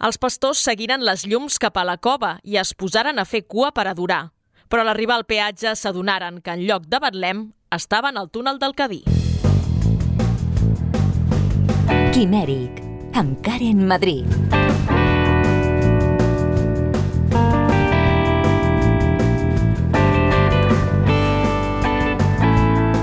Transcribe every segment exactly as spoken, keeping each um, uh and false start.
Els pastors seguiren les llums cap a la cova i es posaren a fer cua per adorar. Però a l'arribar al peatge s'adonaren que en lloc de Betlem estaven al túnel del Cadí. Quimèric, amb Karen Madrid.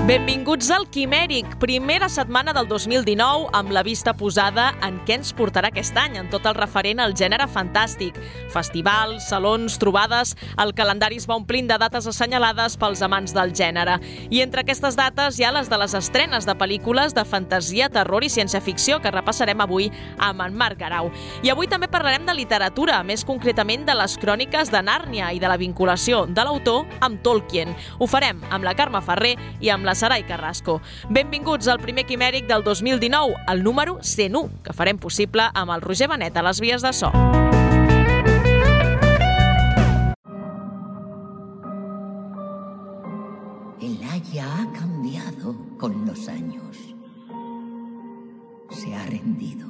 Benvinguts al Quimèric, primera setmana del dos mil dinou, amb la vista posada en què ens portarà aquest any, en tot el referent al gènere fantàstic. Festivals, salons, trobades, el calendari es va omplint de dates assenyalades pels amants del gènere. I entre aquestes dates hi ha les de les estrenes de pel·lícules de fantasia, terror i ciència-ficció que repassarem avui amb en Marc Garau. I avui també parlarem de literatura, més concretament de les cròniques de Nàrnia i de la vinculació de l'autor amb Tolkien. Ho farem amb la Carme Ferrer i amb la Sarai Carrasco. Benvinguts al primer Quimèric del dos mil dinou, el número cent u, que farem possible amb el Roger Benet a les vies de so. El haya ha cambiado con los años. Se ha rendido.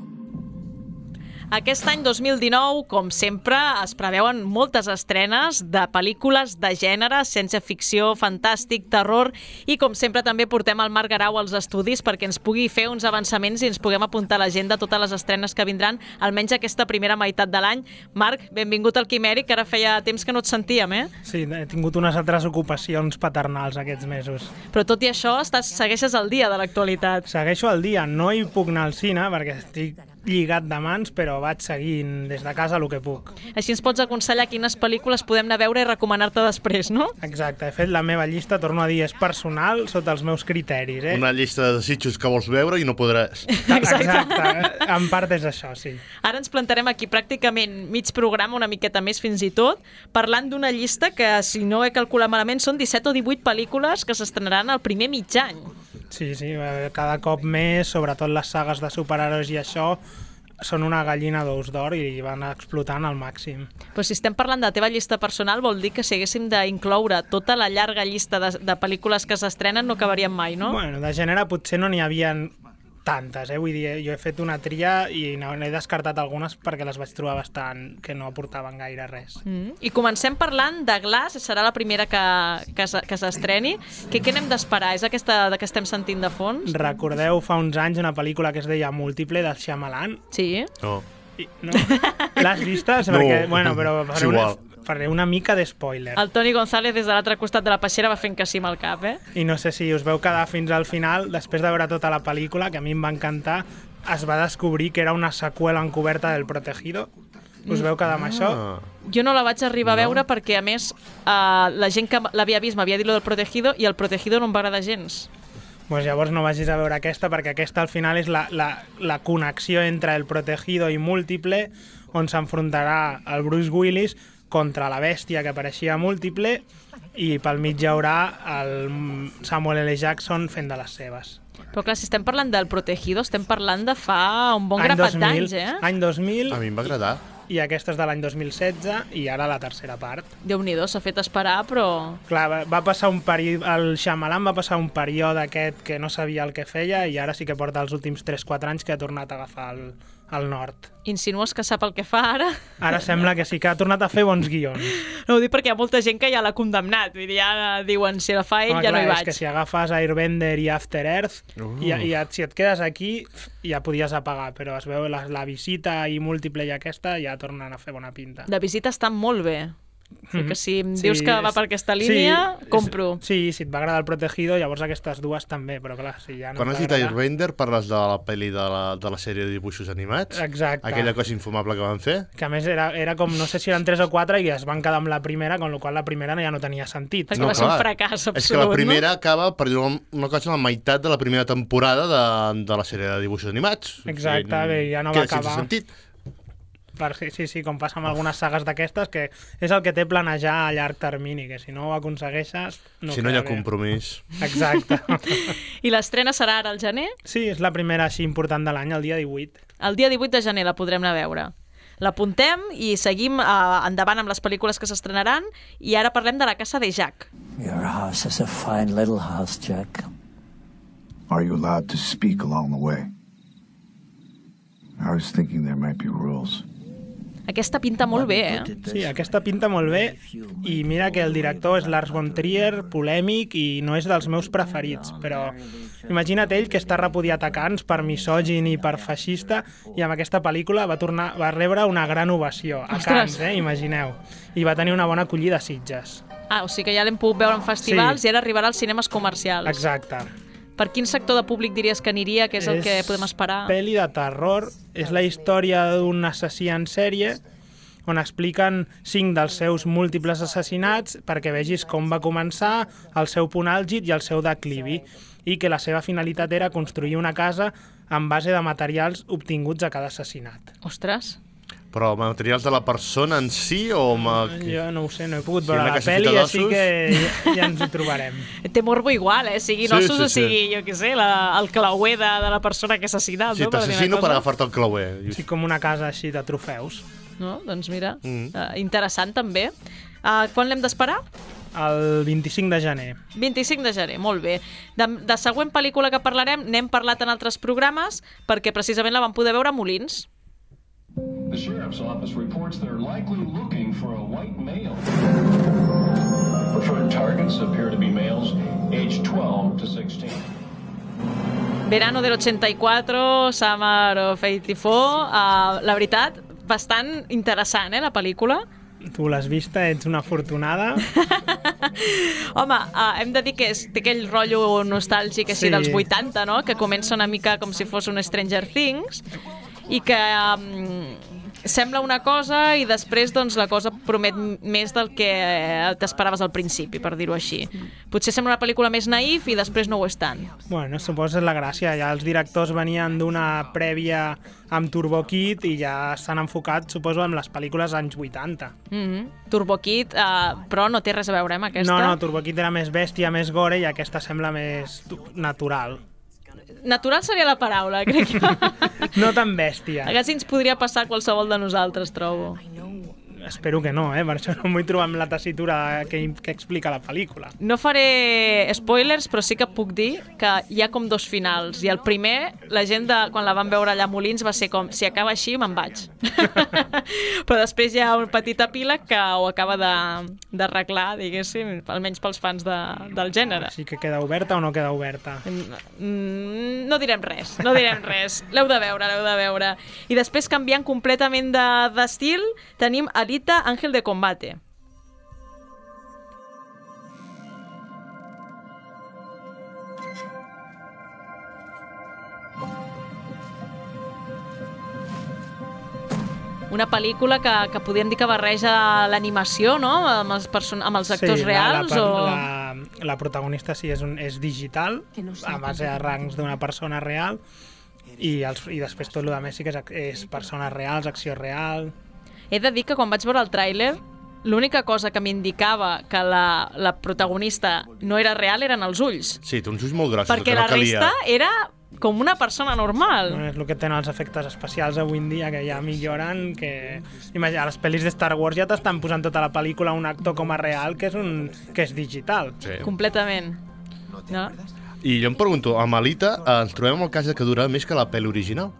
Aquest any dos mil dinou, com sempre, es preveuen moltes estrenes de pel·lícules de gènere, ciència-ficció, fantàstic, terror, i com sempre també portem el Marc Garau als estudis perquè ens pugui fer uns avançaments i ens puguem apuntar a l'agenda totes les estrenes que vindran, almenys aquesta primera meitat de l'any. Marc, benvingut al Quimèric, que ara feia temps que no et sentíem, eh? Sí, he tingut unes altres ocupacions paternals aquests mesos. Però tot i això, estàs, segueixes al dia de l'actualitat. Segueixo al dia, no hi puc anar al cine perquè estic lligat de mans, però vaig seguint des de casa el que puc. Així ens pots aconsellar quines pel·lícules podem anar a veure i recomanar-te després, no? Exacte, he fet la meva llista, torno a dir, és personal, sota els meus criteris, eh? Una llista de desitjos que vols veure i no podràs. Exacte, en part és això, sí. Ara ens plantarem aquí pràcticament mig programa, una miqueta més fins i tot, parlant d'una llista que, si no he calculat malament, són disset o divuit pel·lícules que s'estrenaran el primer mig any. Sí, sí, cada cop més, sobretot les sagues de superherois i això, són una gallina d'ous d'or i van explotant al màxim. Però si estem parlant de la teva llista personal, vol dir que si haguéssim d'incloure tota la llarga llista de, de pel·lícules que s'estrenen no acabaríem mai, no? Bueno, de gènere potser no n'hi havia tantes, eh? Vull dir, jo he fet una tria i n'he descartat algunes perquè les vaig trobar bastant que no aportaven gaire res. Mm. I comencem parlant de Glass, serà la primera que, que, que s'estreni. Què, què n'hem d'esperar? És aquesta que estem sentint de fons? Recordeu fa uns anys una pel·lícula que es deia Múltiple, del Shyamalan? Sí. No. I, no? L'has vista? No. Perquè, bueno, però És igual. Faré una mica d'espoiler. El Toni González des de l'altre costat de la peixera va fent que sí amb el cap, eh? I no sé si us veu quedar fins al final, després de veure tota la pel·lícula, que a mi em va encantar, es va descobrir que era una seqüela encoberta del Protegido. Us veu quedar amb això? Jo no la vaig arribar a veure perquè, a més, eh, la gent que l'havia vist m'havia dit lo del Protegido i el Protegido no em va agradar gens. Pues llavors no vagis a veure aquesta, perquè aquesta al final és la, la, la connexió entre el Protegido i Múltiple, on s'enfrontarà el Bruce Willis contra la bèstia que apareixia a Múltiple i pel mig hi haurà el Samuel L. Jackson fent de les seves. Però clar, si estem parlant del Protegido, estem parlant de fa un bon grapat d'anys, eh? Any dos mil. A mi em va agradar. I aquesta és de l'any dos mil setze i ara la tercera part. Déu-n'hi-do, s'ha fet esperar, però... Clar, va, va passar un període... El Shyamalan va passar un període aquest que no sabia el que feia i ara sí que porta els últims tres quatre anys que ha tornat a agafar el, el nord. Insinues que sap el que fa ara? Ara sembla que sí que ha tornat a fer bons guions. No ho dic perquè hi ha molta gent que ja l'ha condemnat. Vull dir, ja diuen, si la fa ell, Home, ja clar, no hi vaig. És que si agafes Airbender i After Earth, uh. i, i si et quedes aquí, ja podies apagar, però es veu la, la visita i Múltiple i aquesta ja tornen a fer bona pinta. La visita està molt bé. Mm-hmm. Que si em sí, dius que va per aquesta línia, sí, compro. Sí, si et va agradar el Protegido, llavors aquestes dues també, però clar, si ja no Quan has dit Airbender, parles de la pel·li de la, de la sèrie de dibuixos animats? Exacte. Aquella cosa infumable que van fer? Que a més era, era com, no sé si eren tres o quatre i es van quedar amb la primera, con la qual la primera ja no tenia sentit. Perquè no, va ser clar. un fracàs absolut, És que la primera no? acaba, per dir una cosa, la meitat de la primera temporada de, de la sèrie de dibuixos animats. Exacte, bé, ja no va Queda acabar. sense sentit. Per, sí, sí, com passa amb algunes sagues d'aquestes, que és el que té planejar a llarg termini, que si no ho aconsegueixes... No si no hi ha bé. compromís. Exacte. I l'estrena serà ara al gener? Sí, és la primera així important de l'any, el dia divuit. El dia divuit de gener la podrem anar a veure. L'apuntem i seguim uh, endavant amb les pel·lícules que s'estrenaran i ara parlem de La casa de Jack. Your house is a fine little house, Jack. Are you allowed to speak along the way? I was thinking there might be rules. aquesta pinta molt bé, eh? Sí, aquesta pinta molt bé, i mira que el director és Lars von Trier, polèmic, i no és dels meus preferits, però imagina't ell, que està repudiat a Cannes per misògin i per feixista, i amb aquesta pel·lícula va tornar va rebre una gran ovació a Cannes, eh? Imagineu. I va tenir una bona acollida a Sitges. Ah, o sigui que ja l'hem pogut veure en festivals Sí. i ara arribarà als cinemes comercials. Exacte. Per quin sector de públic diries que aniria, que és el que podem esperar? Pel·li de terror, és la història d'un assassí en sèrie on expliquen cinc dels seus múltiples assassinats perquè vegis com va començar, el seu punt àlgid i el seu declivi, i que la seva finalitat era construir una casa en base de materials obtinguts a cada assassinat. Ostres! Però materials de la persona en si o... Ma... Jo no ho sé, no he pogut Sí, veure una la caseta pel·li, d'ossos. així que ja, ja ens ho trobarem. Té morbo igual, eh? Sigui Sí, ossos sí, o sí. sigui, jo què sé, la, el clauer de, de la persona que ha assassinat, Sí, no? Per dir una t'assassino per cosa. agafar-te el clauer. Sí, com una casa així de trofeus. No? Doncs mira, Mm. uh, interessant també. Uh, quan l'hem d'esperar? El vint-i-cinc de gener. vint-i-cinc de gener, molt bé. De, de següent pel·lícula que parlarem, n'hem parlat en altres programes, perquè precisament la vam poder veure a Molins. The sheriff's office reports they're likely looking for a white male. Preferred targets appear to be males aged twelve to sixteen. Verano del ochenta y cuatro, Summer of eighty-four. Uh, la veritat, bastant interessant, eh, la pel·lícula. Tu l'has vista, ets una afortunada. Home, uh, hem de dir que és, té aquell rotllo nostàlgic així Sí. dels vuitanta, no? Que comença una mica com si fos un Stranger Things i que um, sembla una cosa i després doncs, la cosa promet més del que t'esperaves al principi, per dir-ho així. Potser sembla una pel·lícula més naïf i després no ho és tant. Bueno, suposo és la gràcia. Ja els directors venien d'una prèvia amb Turbo Kid i ja s'han enfocat, suposo, en les pel·lícules anys vuitanta. Mm-hmm. Turbo Kid, uh, però no té res a veure amb aquesta. No, no, Turbo Kid era més bèstia, més gore, i aquesta sembla més tu- natural. Natural seria la paraula, crec que. No tan bèstia. Quasi ens podria passar a qualsevol de nosaltres, trobo. Espero que no, eh? Per això no em vull trobar amb la tessitura que, que explica la pel·lícula. No faré spoilers, però sí que puc dir que hi ha com dos finals. I el primer, la gent, de, quan la van veure allà a Molins, va ser com, si acaba així, me'n vaig. Però després hi ha un petit epíleg que ho acaba de- d'arreglar, diguéssim, almenys pels fans de, del gènere. Així que queda oberta o no queda oberta? Mm, no direm res, no direm res. L'heu de veure, l'heu de veure. I després, canviant completament de- d'estil, tenim Alita, Ángel de Combate. Una pel·lícula que, que podríem dir que barreja l'animació, no?, amb els, person amb els actors sí, reals, la, la, o... la, la protagonista sí és, un, és digital, a base de rangs d'una persona real, i, els, i després tot el que més sí que és, és persones reals, acció real... He de dir que quan vaig veure el tràiler, l'única cosa que m'indicava que la, la protagonista no era real eren els ulls. Sí, té uns ulls molt grossos. Perquè que no la calia. resta era com una persona normal. Bueno, és el que tenen els efectes especials avui en dia, que ja milloren, que... Imagina, a les pel·lis de Star Wars ja t'estan posant tota la pel·lícula un actor com a real, que és, un, que és digital. Sí. Completament. No? I jo em pregunto, a Alita eh, ens trobem amb el cas de que dura més que la pel·li original.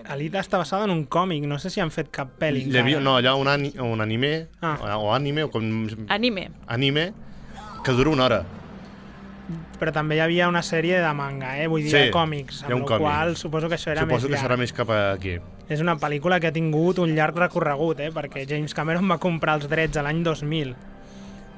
Alita està basada en un còmic, no sé si han fet cap pel·li. Hi havia, no, allà un, ani, un anime, Ah. o anime, o com... Anime. Anime, que dura una hora. Però també hi havia una sèrie de manga, eh? Vull dir, Sí, de còmics, hi ha amb un la còmic. qual suposo que això era Suposo més que llarg. serà més cap aquí. És una pel·lícula que ha tingut un llarg recorregut, eh? Perquè James Cameron va comprar els drets a l'any dos mil.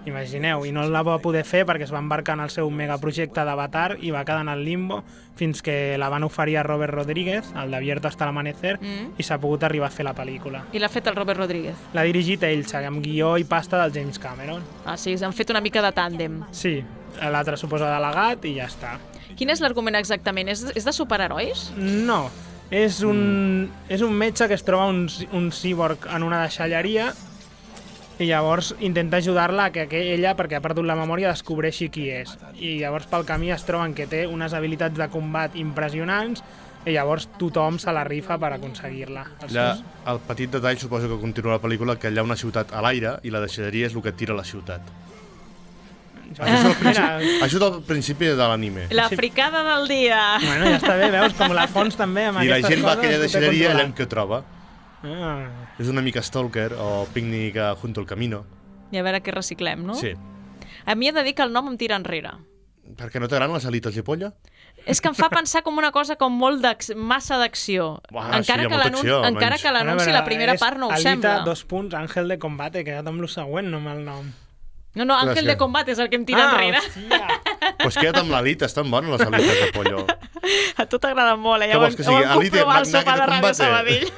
Imagineu, i no la va poder fer perquè es va embarcar en el seu megaprojecte d'Avatar i va quedar en el limbo fins que la van oferir a Robert Rodríguez, el d'Abierto hasta l'amanecer, Mm. i s'ha pogut arribar a fer la pel·lícula. I l'ha fet el Robert Rodríguez. L'ha dirigit ell, amb guió i pasta del James Cameron. Ah, sí, han fet una mica de tàndem. Sí, l'altre suposa delegat i ja està. Quin és l'argument exactament? És, és de superherois? No, és un, és un metge que es troba un, un cíborg en una deixalleria i llavors intenta ajudar-la a que, que ella, perquè ha perdut la memòria, descobreixi qui és. I llavors pel camí es troben que té unes habilitats de combat impressionants i llavors tothom se la rifa per aconseguir-la. Els Allà, seus- el petit detall, suposo que continua la pel·lícula, que hi ha una ciutat a l'aire i la deixalleria és el que tira la ciutat. Això és el principi, Això és el principi de l'anime. La fricada del dia. bueno, ja està bé, veus, com la Fons també amb I la aquestes gent va a coses aquella ho té deixalleria allà controlat. en què troba. Ah. És una mica Stalker o Pícnic junto al camino. I a veure què reciclem, no? Sí. A mi he de dir que el nom em tira enrere. Per què no t'agraden les alites de polla? És que em fa pensar com una cosa com molt d'acc- massa d'acció. Uah, Encara sí, hi ha que molta l'anun- acció, encara almenys. que l'anunci, la primera part no ho Alita, sembla. dos punts, Àngel de Combate, quedat amb lo següent, no amb el nom. No, no, Àngel Gràcies. de Combat és el que em tira enrere. hòstia! Doncs queda't amb l'alita, estan bones les alites de pollo. A tu t'agrada molt, eh? Què Ja ho vols hem, que ho sigui? hem Alita, comprovat al Magna sopar de de Ràdio Combate? Sabadell.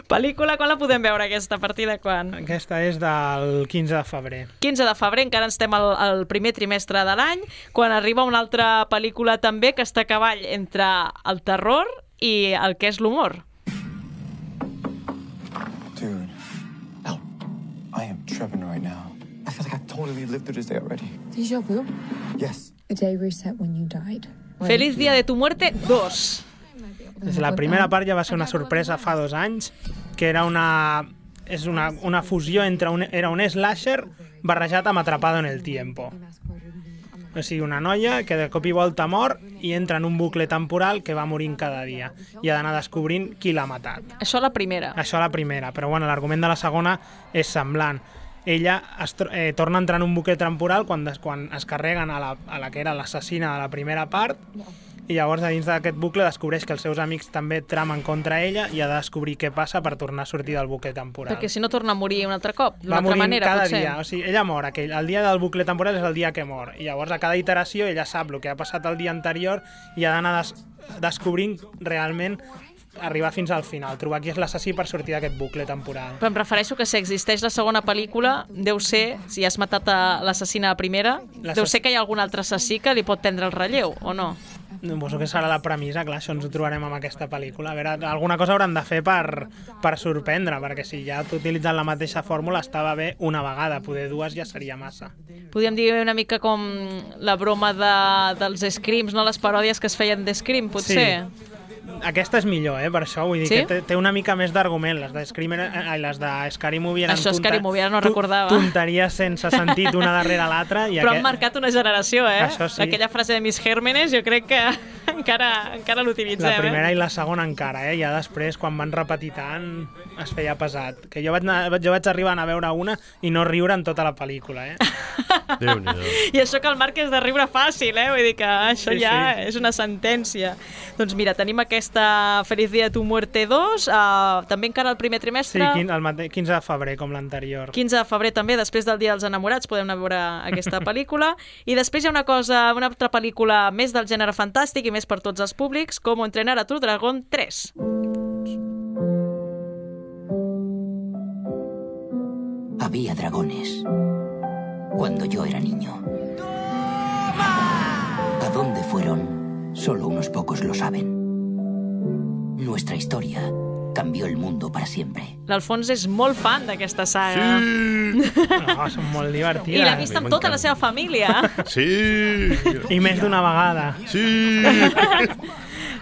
Pel·lícula, quan la podem veure aquesta? A partir de quan? Aquesta és del quinze de febrer. quinze de febrer, encara estem al, al primer trimestre de l'any, quan arriba una altra pel·lícula també que està a cavall entre el terror i el que és l'humor. Dude, Oh, I am tripping right now. I feel like I totally lived through this day already. Déjà vu? Yes. The day reset when you died. Feliz Día de tu Muerte dos. Des de la primera part ja va ser una sorpresa fa dos anys, que era una... és una, una fusió entre un, era un slasher barrejat amb Atrapado en el Tiempo. O sigui, una noia que de cop i volta mor i entra en un bucle temporal que va morint cada dia i ha d'anar descobrint qui l'ha matat. Això la primera. Això a la primera, però bueno, l'argument de la segona és semblant. Ella es, eh, torna a entrar en un bucle temporal quan, des, quan es carreguen a la, a la que era l'assassina de la primera part i llavors a dins d'aquest bucle descobreix que els seus amics també tramen contra ella i ha de descobrir què passa per tornar a sortir del bucle temporal. Perquè si no torna a morir un altre cop, d'una Va altra morint manera, cada potser. dia, o sigui, ella mor, aquell, el dia del bucle temporal és el dia que mor, i llavors a cada iteració ella sap el que ha passat el dia anterior i ha d'anar des descobrint realment arribar fins al final, trobar qui és l'assassí per sortir d'aquest bucle temporal. Però em refereixo que si existeix la segona pel·lícula, deu ser, si has matat a l'assassina a primera, deu ser que hi ha algun altre assassí que li pot prendre el relleu, o no? Suposo que serà la premissa, clar, això ens ho trobarem amb aquesta pel·lícula. A veure, alguna cosa hauran de fer per, per sorprendre, perquè si ja utilitzant la mateixa fórmula estava bé una vegada, poder dues ja seria massa. Podríem dir una mica com la broma de, dels Screams, no? Les paròdies que es feien de Scream, potser? Sí. Aquesta és millor, eh, per això, vull dir sí? que té, té una mica més d'argument. Les de Scream, eh, les de Scary Movie eren això Scary Movie, ara no recordava. tonteries sense sentit una darrere l'altra. Però aquest... han marcat una generació, eh? Això sí. Aquella frase de Miss Gérmenes jo crec que encara, encara l'utilitzem, eh? La primera eh? i la segona encara, eh? Ja després, quan van repetir tant, es feia pesat. Que jo vaig, anar, jo vaig arribar a veure una i no riure en tota la pel·lícula, eh? Déu-n'hi-do. I això que el Marc és de riure fàcil, eh? Vull dir que això sí, ja sí. és una sentència. Doncs mira, tenim aquesta Feliz Día de tu Muerte dos, uh, també encara el primer trimestre. Sí, el quinze de febrer, com l'anterior. quinze de febrer també, després del Dia dels Enamorats, podem anar a veure aquesta pel·lícula. I després hi ha una cosa, una altra pel·lícula més del gènere fantàstic i més per tots els públics, com Entrenar a tu Dragón tres. Había dragones cuando yo era niño. ¿A dónde fueron? Solo unos pocos lo saben. Nuestra historia cambió el mundo para siempre. L'Alfons és molt fan d'aquesta saga. Sí! No, són molt divertides. I l'ha vist amb tota la seva família. Sí! I més d'una vegada. Sí!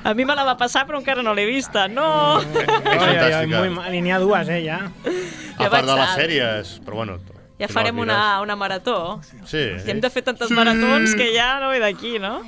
A mi me la va passar, però encara no l'he vista. No! Oi, oi, oi, muy mal. I n'hi ha dues, eh, ja. A part de les sèries, però bueno... Ja farem una, una marató. Sí. I hem de fer tantes sí. maratons que ja no ve d'aquí, no?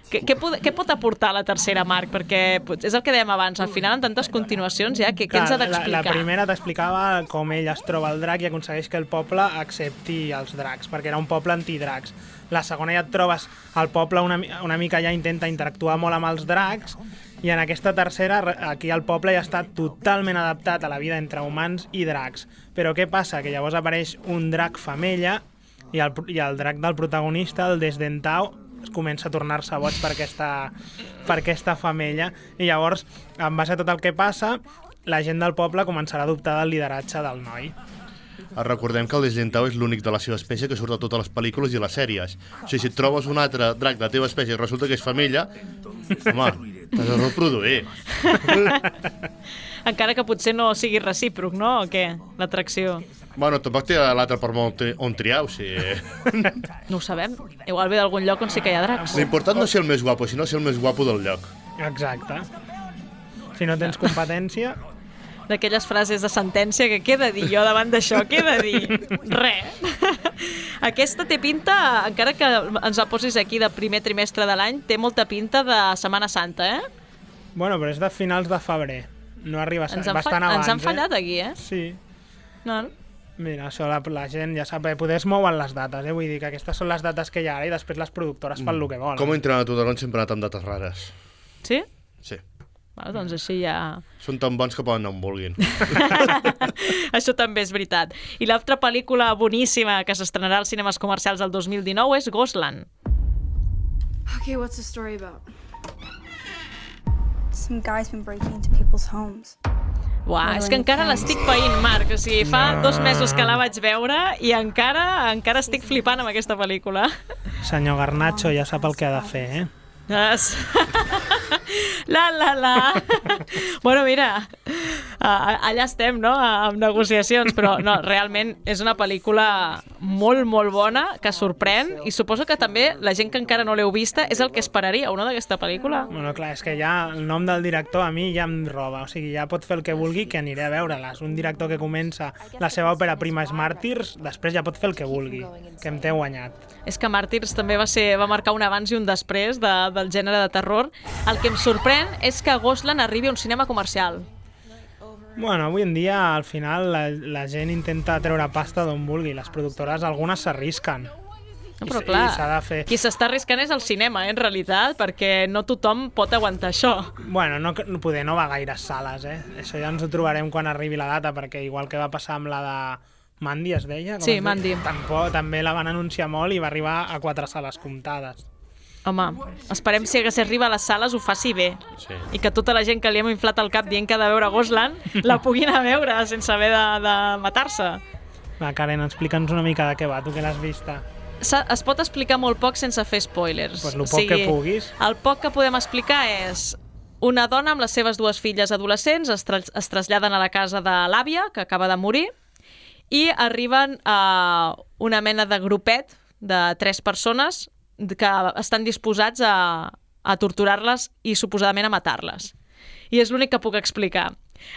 Què, què, pot, què pot aportar la tercera, Marc? Perquè és el que dèiem abans, al final, en tantes continuacions, ja, què, què ens ha d'explicar? La, la primera t'explicava com ell es troba el drac i aconsegueix que el poble accepti els dracs, perquè era un poble antidracs. La segona ja et trobes el poble una, una mica ja intenta interactuar molt amb els dracs, i en aquesta tercera, aquí el poble ja està totalment adaptat a la vida entre humans i dracs. Però què passa? Que llavors apareix un drac femella i el, i el drac del protagonista, el Desdentau, es comença a tornar-se boig per aquesta, per aquesta femella, i llavors, en base a tot el que passa, la gent del poble començarà a adoptar el lideratge del noi. Recordem que el Desdentau és l'únic de la seva espècie que surt a totes les pel·lícules i les sèries. O sigui, si et trobes un altre drac de la teva espècie i resulta que és femella, home, t'has de reproduir. Encara que potser no sigui recíproc, no? O què? L'atracció. Bueno, tampoc té l'altre per on, on triar, o sigui... No ho sabem. Igual ve d'algun lloc on sí que hi ha dracs. L'important no és ser el més guapo, sinó ser el més guapo del lloc. Exacte. Si no tens competència... D'aquelles frases de sentència que què he de dir jo davant d'això, què he de dir? Res. Aquesta té pinta, encara que ens la posis aquí de primer trimestre de l'any, té molta pinta de Setmana Santa, eh? Bueno, però és de finals de febrer. no arriba ens bastant fa... abans. Ens han fallat eh? aquí, eh? Sí. No, Mira, això la, la gent ja sap, eh, poder es mouen les dates, eh? Vull dir que aquestes són les dates que hi ha ara i després les productores fan el que volen. Com entrenar a Tudaron sempre ha anat amb dates rares. Sí? Sí. Bueno, doncs així ja... Són tan bons que poden anar on vulguin. Això també és veritat. I l'altra pel·lícula boníssima que s'estrenarà als cinemes comercials el dos mil dinou és Ghostland. Okay, what's the story about? Some guy's been breaking into people's homes. Uah, és que encara l'estic païnt, Marc. O sigui, fa No. dos mesos que la vaig veure i encara encara estic flipant amb aquesta pel·lícula. Senyor Garnacho ja sap el que ha de fer, eh? Es... La, la, la. Bueno, mira, allà estem, no?, amb negociacions, però no, realment és una pel·lícula molt, molt bona, que sorprèn, i suposo que també la gent que encara no l'heu vista és el que esperaríeu, no?, d'aquesta pel·lícula. Bueno, clar, és que ja el nom del director a mi ja em roba, o sigui, ja pot fer el que vulgui, que aniré a veure-la. És un director que comença la seva òpera prima és Màrtirs, després ja pot fer el que vulgui, que em té guanyat. És que Màrtirs també va ser va marcar un abans i un després de, del gènere de terror. El que em sorprèn és que Ghostland arribi a un cinema comercial. Bueno, avui en dia, al final, la, la gent intenta treure pasta d'on vulgui. Les productores, algunes s'arrisquen. No, però I, clar, i s'ha de fer... qui s'està arriscant és el cinema, eh, en realitat, perquè no tothom pot aguantar això. Bueno, no, poder no va a gaires sales, eh? Això ja ens ho trobarem quan arribi la data, perquè igual que va passar amb la de Mandy, es deia? Com Sí, es Mandy. deia? Tampoc, també la van anunciar molt i va arribar a quatre sales comptades. Home, esperem si si arriba a les sales ho faci bé. Sí. I que tota la gent que li hem inflat el cap dient que ha de veure Ghostland la pugui anar a veure sense haver de, de matar-se. Va, Karen, explica'ns una mica de què va, tu que l'has vista. Es pot explicar molt poc sense fer spoilers. Pues lo poc que puguis. El poc que podem explicar és una dona amb les seves dues filles adolescents es, tra es traslladen a la casa de l'àvia, que acaba de morir, i arriben a una mena de grupet de tres persones que estan disposats a, a torturar-les i suposadament a matar-les. I és l'únic que puc explicar.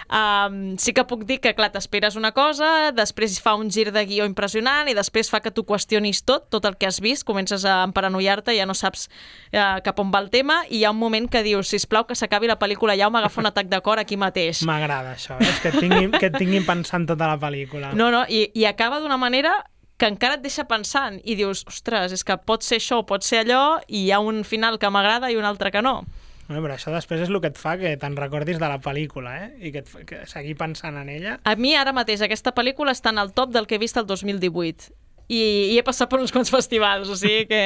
Um, sí que puc dir que, clar, t'esperes una cosa, després fa un gir de guió impressionant i després fa que tu qüestionis tot, tot el que has vist, comences a emparanoiar-te, ja no saps uh, cap on va el tema, i hi ha un moment que dius, sisplau, que s'acabi la pel·lícula ja o m'agafa un atac de cor aquí mateix. M'agrada això, eh? És que et tinguin, que et tinguin pensant tota la pel·lícula. No, no, i, i acaba d'una manera que encara et deixa pensant i dius, ostres, és que pot ser això o pot ser allò i hi ha un final que m'agrada i un altre que no. Bueno, però això després és el que et fa que te'n recordis de la pel·lícula, eh? I que, et fa, que seguir pensant en ella. A mi ara mateix aquesta pel·lícula està en el top del que he vist el dos mil divuit i, i he passat per uns quants festivals, o sigui que...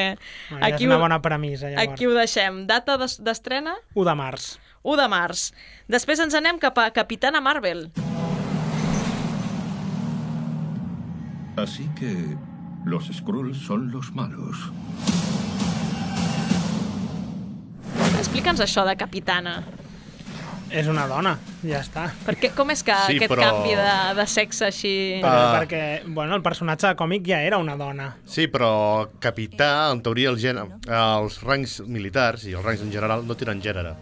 Bueno, aquí és una bona premissa, llavors. Aquí ho deixem. Data d'estrena? u de març. u de març. Després ens anem cap a Capitana Marvel. Así que los Skrulls son los malos. Explica'ns això de Capitana. És una dona, ja està. Perquè, com és que Sí, aquest però- canvi de, de sexe així... Però Ah. perquè, bueno, el personatge de còmic ja era una dona. Sí, però capità, en teoria, el gen... els rangs militars i els rangs en general no tenen gènere.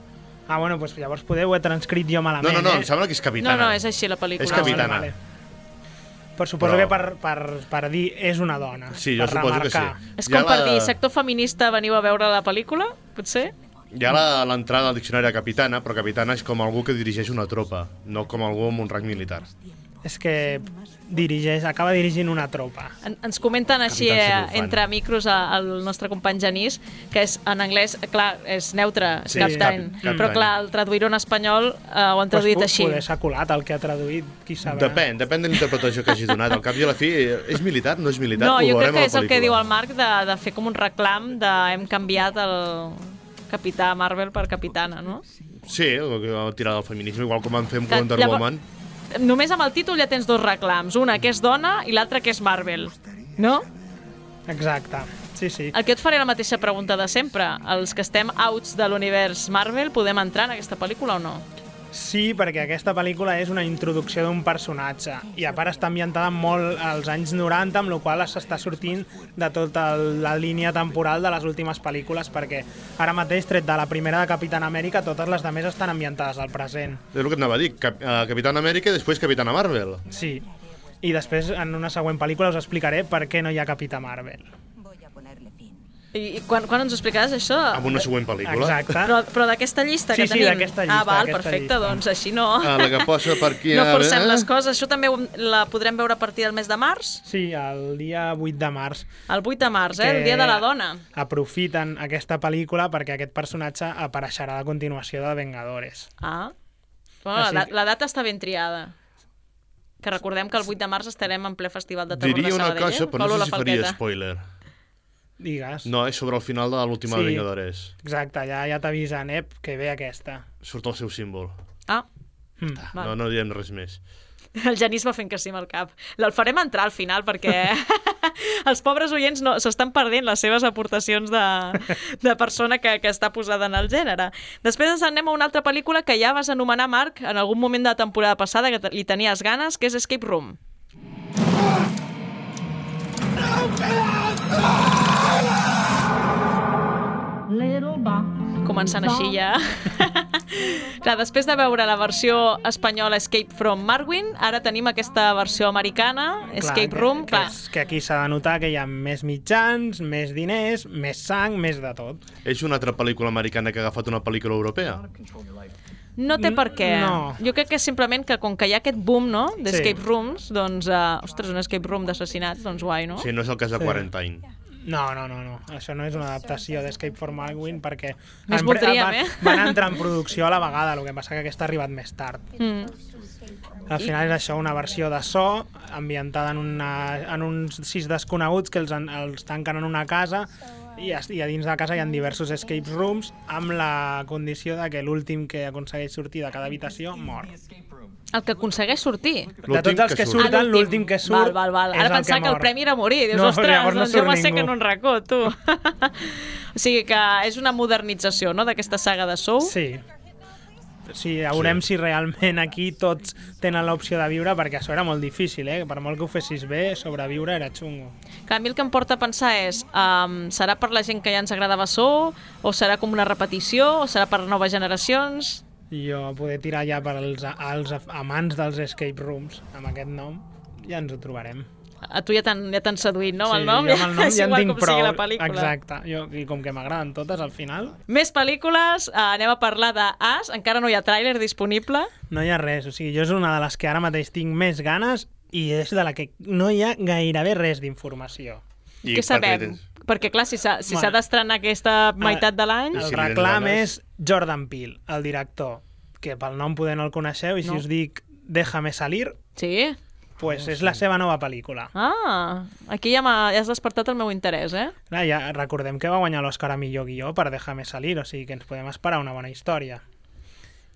Ah, bueno, doncs llavors poder ho he transcrit jo No, malament, no, no, eh? em sembla que és capitana. No, no, és així la pel·lícula. És capitana. Ah, vale, vale. Però suposo Però- que per, per, per dir és una dona. Sí, jo per suposo que remarcar. sí. És Ja com per la- dir, sector feminista, veniu a veure la pel·lícula, potser? Hi ha la- l'entrada al diccionari de capitana, però capitana és com algú que dirigeix una tropa, no com algú amb un rang militar. És que dirigeix, acaba dirigint una tropa. En, ens comenten així Capitán eh, Celofán. entre micros a- el nostre company Genís, que és en anglès, clar, és neutre, Sí, captain, cap- captain. però clar, el traduir-ho en espanyol eh, ho han traduït Pues, així. Poder s'ha colat el que ha traduït, qui sabrà. Depèn, depèn de la interpretació que hagi donat. Al cap i a la fi, és militar, no és militar? No, Ho jo crec veurem a que la és el que pel·lícula. diu el Marc de, de fer com un reclam de hem canviat el capità Marvel per capitana, no? Sí, o tirar del feminisme, igual com van fer amb Que Wonder llavors- Woman. Només amb el títol ja tens dos reclams, una que és dona i l'altra que és Marvel, no? Exacte, sí, sí. El que et faré la mateixa pregunta de sempre. Els que estem outs de l'univers Marvel, podem entrar en aquesta pel·lícula o no? Sí, perquè aquesta pel·lícula és una introducció d'un personatge i a part està ambientada molt als anys noranta, amb la qual cosa s'està sortint de tota la línia temporal de les últimes pel·lícules, perquè ara mateix, tret de la primera de Capitán Amèrica, totes les demés estan ambientades al present. És el que et anava a dir, Cap uh, Capitán Amèrica i després Capitana Marvel. Sí, i després en una següent pel·lícula us explicaré per què no hi ha Capità Marvel. I, i quan, quan ens ho explicaràs, això? Amb una següent pel·lícula. Exacte. Però, però d'aquesta llista sí, que sí, tenim? Sí, d'aquesta llista. Ah, val, perfecte, llista. Doncs així no. Ah, la que posa per aquí... No forcem eh? les coses. Això també la podrem veure a partir del mes de març? Sí, el dia vuit de març. El vuit de març, eh? El dia de la dona. Aprofiten aquesta pel·lícula perquè aquest personatge apareixerà a la continuació de Vengadores. Ah. Bueno, la, la data està ben triada. Que recordem que el vuit de març estarem en ple festival de terror Diria de Sabadell. Diria una cosa, però no sé si faria spoiler. Digues. No, és sobre el final de l'última sí, Vengadores. Exacte, ja, ja t'avisen, eh, que ve aquesta. Surt el seu símbol. Ah. Mm. No, no diem res més. El Genís va fent que sí amb el cap. El farem entrar al final perquè els pobres oients no, s'estan perdent les seves aportacions de, de persona que, que està posada en el gènere. Després ens anem a una altra pel·lícula que ja vas anomenar, Marc, en algun moment de la temporada passada, que li tenies ganes, que és Escape Room. Començant així ja. Clar, després de veure la versió espanyola Escape from Marwin, ara tenim aquesta versió americana, Escape clar, Room. Que, que, que aquí s'ha de notar que hi ha més mitjans, més diners, més sang, més de tot. És una altra pel·lícula americana que ha agafat una pel·lícula europea? No té per què. No. Jo crec que és simplement que com que hi ha aquest boom, no?, d'escape sí. rooms, doncs, uh, ostres, un escape room d'assassinats, doncs guai, no? Sí, no és el cas de sí. Quarantine. No, no, no, no. Això no és una adaptació d'Escape from Marwin perquè més voldríem, van, eh? van entrar en producció a la vegada, el que passa que aquesta ha arribat més tard. Mm. Al final és això, una versió de so ambientada en, una, en uns sis desconeguts que els, els tanquen en una casa i a, i a dins de la casa hi ha diversos escape rooms amb la condició de que l'últim que aconsegueix sortir de cada habitació mor. El que aconsegueix sortir? De tots els que, que surten, ah, l'últim que surt val, val, val. és Ara pensava el que, que el premi era morir. Dius, no, ostres, no doncs jo m'assec ningú. en un racó, tu. O sigui que és una modernització, no?, d'aquesta saga de Saw. Sí. Sí, veurem sí. si realment aquí tots tenen l'opció de viure, perquè això era molt difícil, eh? Per molt que ho fessis bé, sobreviure era xungo. Que a mi el que em porta a pensar és, um, serà per la gent que ja ens agradava Saw, o serà com una repetició, o serà per noves generacions? Jo poder tirar ja per als, als amants dels escape rooms, amb aquest nom, ja ens ho trobarem. A tu ja t'han ja seduït, no? Sí, el nom? jo amb el nom és ja en igual tinc com prou. sigui la pel·lícula. Exacte. Jo, I com que m'agraden totes, al final... Més pel·lícules, eh, anem a parlar d'As. Encara no hi ha tràiler disponible. No hi ha res. O sigui, jo és una de les que ara mateix tinc més ganes i és de la que no hi ha gairebé res d'informació. I què sabem? Perquè, clar, si s'ha si bueno, d'estrenar aquesta meitat de l'any... El reclam és Jordan Peele, el director, que pel nom poder no el coneixeu, i si no. us dic Déjame salir... Sí? Pues és la seva nova pel·lícula. Ah, aquí ja, ja has despertat el meu interès, eh? Clar, ja recordem que va guanyar l'Òscar a millor guió per Déjame salir, o sigui que ens podem esperar una bona història.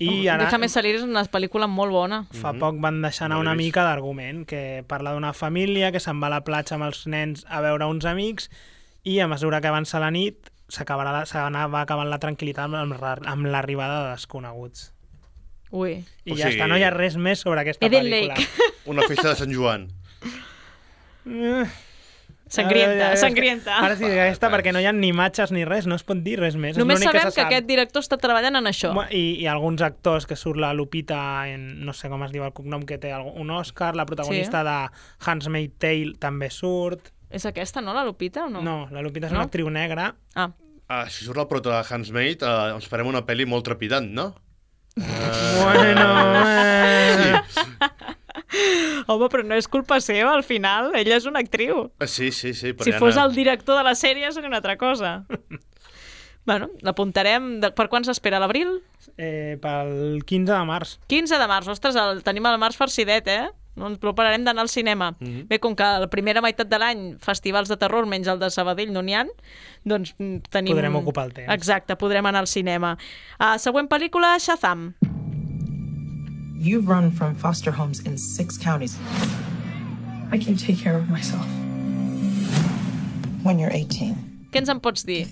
I oh, ara... Déjame salir és una pel·lícula molt bona. Fa mm-hmm. poc van deixar anar una mica d'argument, que parla d'una família que se'n va a la platja amb els nens a veure uns amics i a mesura que avança la nit s'acabarà va acabant la tranquil·litat amb, amb l'arribada de desconeguts. Ui. I o ja sigui... està, no hi ha res més sobre aquesta Eden pel·lícula. Lake. Una festa de Sant Joan. Sangrienta, ara, sangrienta. Ara sí, aquesta, perquè no hi ha ni imatges ni res, no es pot dir res més. Només sabem que, que aquest director està treballant en això. I, i alguns actors, que surt la Lupita, en, no sé com es diu el cognom, que té un Òscar, la protagonista sí. de Handmaid's Tale també surt. És aquesta, no, la Lupita, o no? No, la Lupita és no? una actriu negra. Ah. Ah, si surt la prota de Handmaid, eh, ens farem una pel·li molt trepidant, no? Uh... Bueno, eh... sí. Home, però no és culpa seva, al final. Ella és una actriu. Sí, sí, sí. Però si ja fos no... el director de la sèrie seria una altra cosa. Bueno, l'apuntarem. De... Per quan s'espera, l'abril? Eh, pel quinze de març. quinze de març. Ostres, el tenim al març farcidet, eh? No ens prepararem d'anar al cinema. Mm-hmm. Bé, com que la primera meitat de l'any festivals de terror, menys el de Sabadell, no n'hi ha, doncs tenim... Podrem ocupar el temps. Exacte, podrem anar al cinema. Uh, següent pel·lícula, Shazam. You've run from foster homes in six counties. I can take care of myself. When you're eighteen. Què ens en pots dir?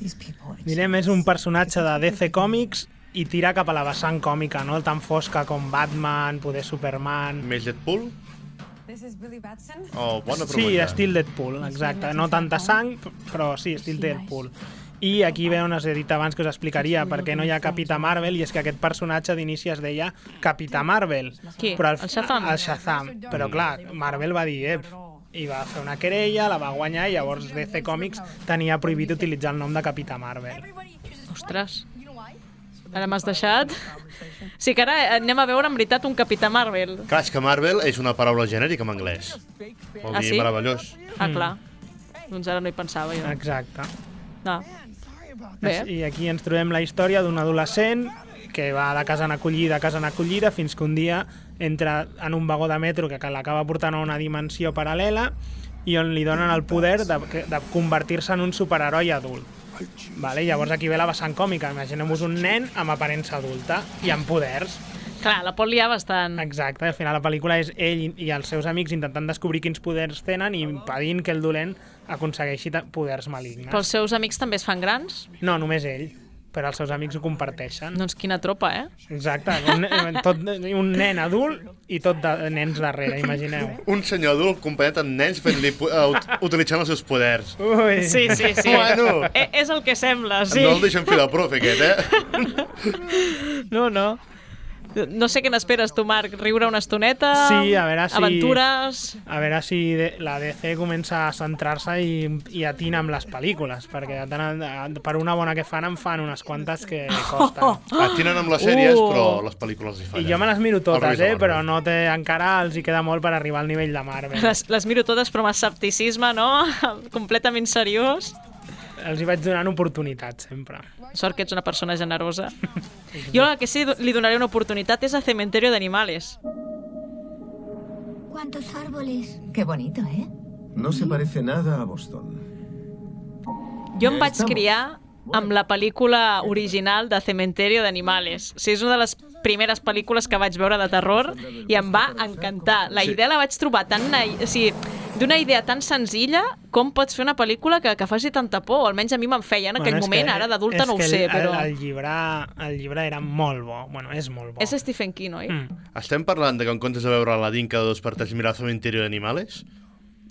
Direm, és un personatge de D C Comics i tira cap a la vessant còmica, no? Tan fosca com Batman, poder Superman... Més Deadpool? Oh, bona sí, estil Deadpool, exacte. No tanta sang, però sí, estil Deadpool. I aquí ve on has dit abans que us explicaria per què no hi ha Capità Marvel, i és que aquest personatge d'inici es deia Capità Marvel. Qui? Però el, el Shazam? El Shazam. Però clar, Marvel va dir, eh, i va fer una querella, la va guanyar, i llavors D C Comics tenia prohibit utilitzar el nom de Capità Marvel. Ostres, ara m'has deixat. Sí que ara anem a veure en veritat un Capità Marvel. Clar, és que Marvel és una paraula genèrica en anglès. Vol dir ah, sí? meravellós. Ah, clar. Doncs ara no hi pensava jo. Exacte. Ah. Bé. I aquí ens trobem la història d'un adolescent que va de casa en acollida a casa en acollida fins que un dia entra en un vagó de metro que l'acaba portant a una dimensió paral·lela i on li donen el poder de, de convertir-se en un superheroi adult. Vale? Llavors aquí ve la vessant còmica. Imaginem-vos un nen amb aparença adulta i amb poders. Clar, la pot liar bastant. Exacte, al final la pel·lícula és ell i els seus amics intentant descobrir quins poders tenen i impedint que el dolent aconsegueixi poders malignes. Però els seus amics també es fan grans? No, només ell, però els seus amics ho comparteixen. Doncs quina tropa, eh? Exacte, un, tot, un nen adult i tot de nens darrere, imagineu. Un senyor adult acompanyat amb nens fent-li, uh, utilitzant els seus poders. Ui. Sí, sí, sí. Bueno. E és el que sembla, sí. No el deixen fer de profe, aquest, eh? No, no. No sé què n'esperes tu, Marc, riure una estoneta, sí, a veure si, aventures... A veure si de, la D C comença a centrar-se i, i atina amb les pel·lícules, perquè per una bona que fan en fan unes quantes que costen. Oh, oh. Atinen amb les sèries, uh. però les pel·lícules hi fallen. I jo me les miro totes, eh, però no té, encara els hi queda molt per arribar al nivell de Marvel. Les, les miro totes, però amb escepticisme, no? Completament seriós. Els hi vaig donant oportunitat, sempre. Sort que ets una persona generosa. Jo la que sí li donaré una oportunitat és a Cementerio de Animales. ¿Cuántos árboles? Qué bonito, ¿eh? No se parece nada a Boston. Jo em vaig criar amb la pel·lícula original de Cementerio de Animales. O sigui, és una de les primeres pel·lícules que vaig veure de terror i em va encantar. La idea la vaig trobar tan... O sigui, d'una idea tan senzilla, com pots fer una pel·lícula que, que faci tanta por? O almenys a mi me'n feia en aquell bueno, moment, que, ara d'adulta no ho sé, el, però... El llibre, el llibre era molt bo, bueno, és molt bo. És Stephen King, oi? Mm. Estem parlant de que en comptes de veure Aladdin cada dos per tres mirar Cementerio de Animales?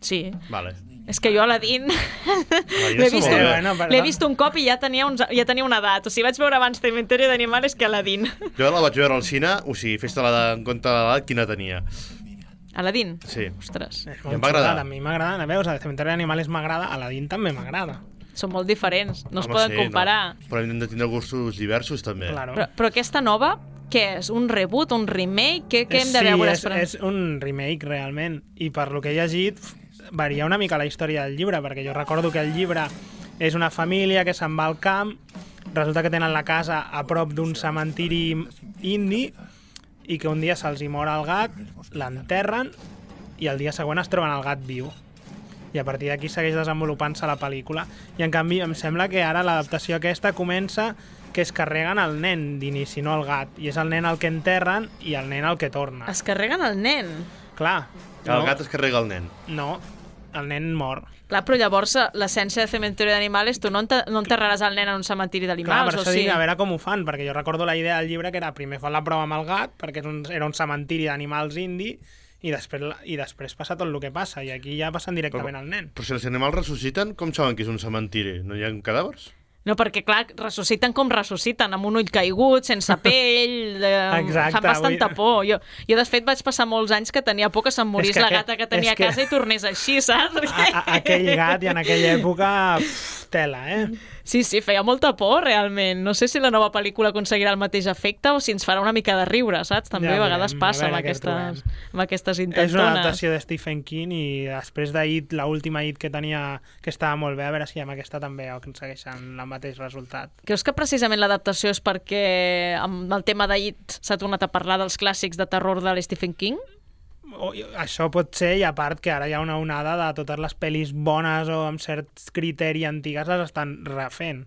Sí. Vale. És que jo Aladdin l'he vist, un, bueno, vist un cop i ja tenia, uns, ja tenia una edat. O sigui, vaig veure abans Cementerio de Animales que Aladdin. Jo la vaig veure al cine, o sigui, fes-te en compte de l'edat quina tenia. Aladdin? Sí. Ostres. I em va agradar. A mi m'agrada, veus, a Cementerio d'Animales m'agrada, Aladdin també m'agrada. Són molt diferents, no es Home, poden sí, comparar. No. Però hem de tindre gustos diversos, també. Claro. Però, però aquesta nova, què és? Un reboot, un remake? Què, què hem de sí, veure? Sí, és, és un remake, realment. I per lo que he llegit, varia una mica la història del llibre, perquè jo recordo que el llibre és una família que se'n va al camp, resulta que tenen la casa a prop d'un cementiri indi i que un dia se'ls hi mor el gat, l'enterren i el dia següent es troben el gat viu. I a partir d'aquí segueix desenvolupant-se la pel·lícula. I en canvi em sembla que ara l'adaptació aquesta comença que es carreguen el nen d'inici, no el gat. I és el nen el que enterren i el nen el que torna. Es carreguen el nen? Clar. El no. gat es carrega el nen. No, el nen mor. Clar, però llavors l'essència de Cementerio d'Animales, tu no, enter no enterraràs el nen en un cementiri d'animals, Clar, per o això sí? dic, a veure com ho fan, perquè jo recordo la idea del llibre que era primer fan la prova amb el gat, perquè és un, era un cementiri d'animals indi, i després, i després passa tot el que passa, i aquí ja passen directament però, al nen. Però si els animals ressusciten, com saben que és un cementiri? No hi ha cadàvers? No, perquè, clar, ressusciten com ressusciten, amb un ull caigut, sense pell, de... Exacte, fan bastanta avui... por. Jo, jo, de fet, vaig passar molts anys que tenia por que se'm morís que la gata que tenia que... a casa i tornés així, saps? A, a, aquell gat i en aquella època, pff, tela, eh? Sí, sí, feia molta por, realment. No sé si la nova pel·lícula aconseguirà el mateix efecte o si ens farà una mica de riure, saps? També ja, a vegades passa amb aquestes, amb aquestes intentones. És una adaptació de Stephen King i després de It, l'última It que tenia, que estava molt bé, a veure si amb aquesta també aconsegueixen el mateix resultat. Creus que precisament l'adaptació és perquè amb el tema de It s'ha tornat a parlar dels clàssics de terror de l'Stephen King? O, això pot ser, i a part que ara hi ha una onada de totes les pel·lis bones o amb cert criteri antigues les estan refent.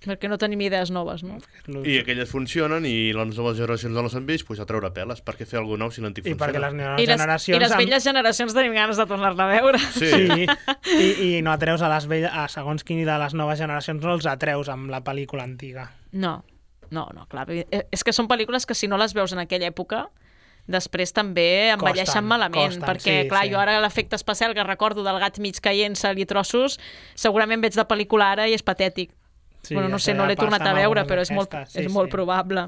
Perquè no tenim idees noves, no? I aquelles funcionen i les noves generacions no les han vist, doncs a treure peles. Per què fer alguna cosa si l'antic funciona? I perquè les noves I les, generacions... I les velles amb... generacions tenim ganes de tornar-la a veure. Sí, sí. I, i no atreus a les velles, a segons quin de les noves generacions no els atreus amb la pel·lícula antiga. No, no, no, clar. És que són pel·lícules que si no les veus en aquella època després també envelleixen costen, malament, costen, perquè, sí, clar, sí. Jo ara l'efecte especial que recordo del gat mig caient-se-li trossos, segurament veig de pel·lícula ara i és patètic. Sí, bueno, no sé, no l'he tornat a veure, però és molt, aquesta, sí, és molt sí. probable.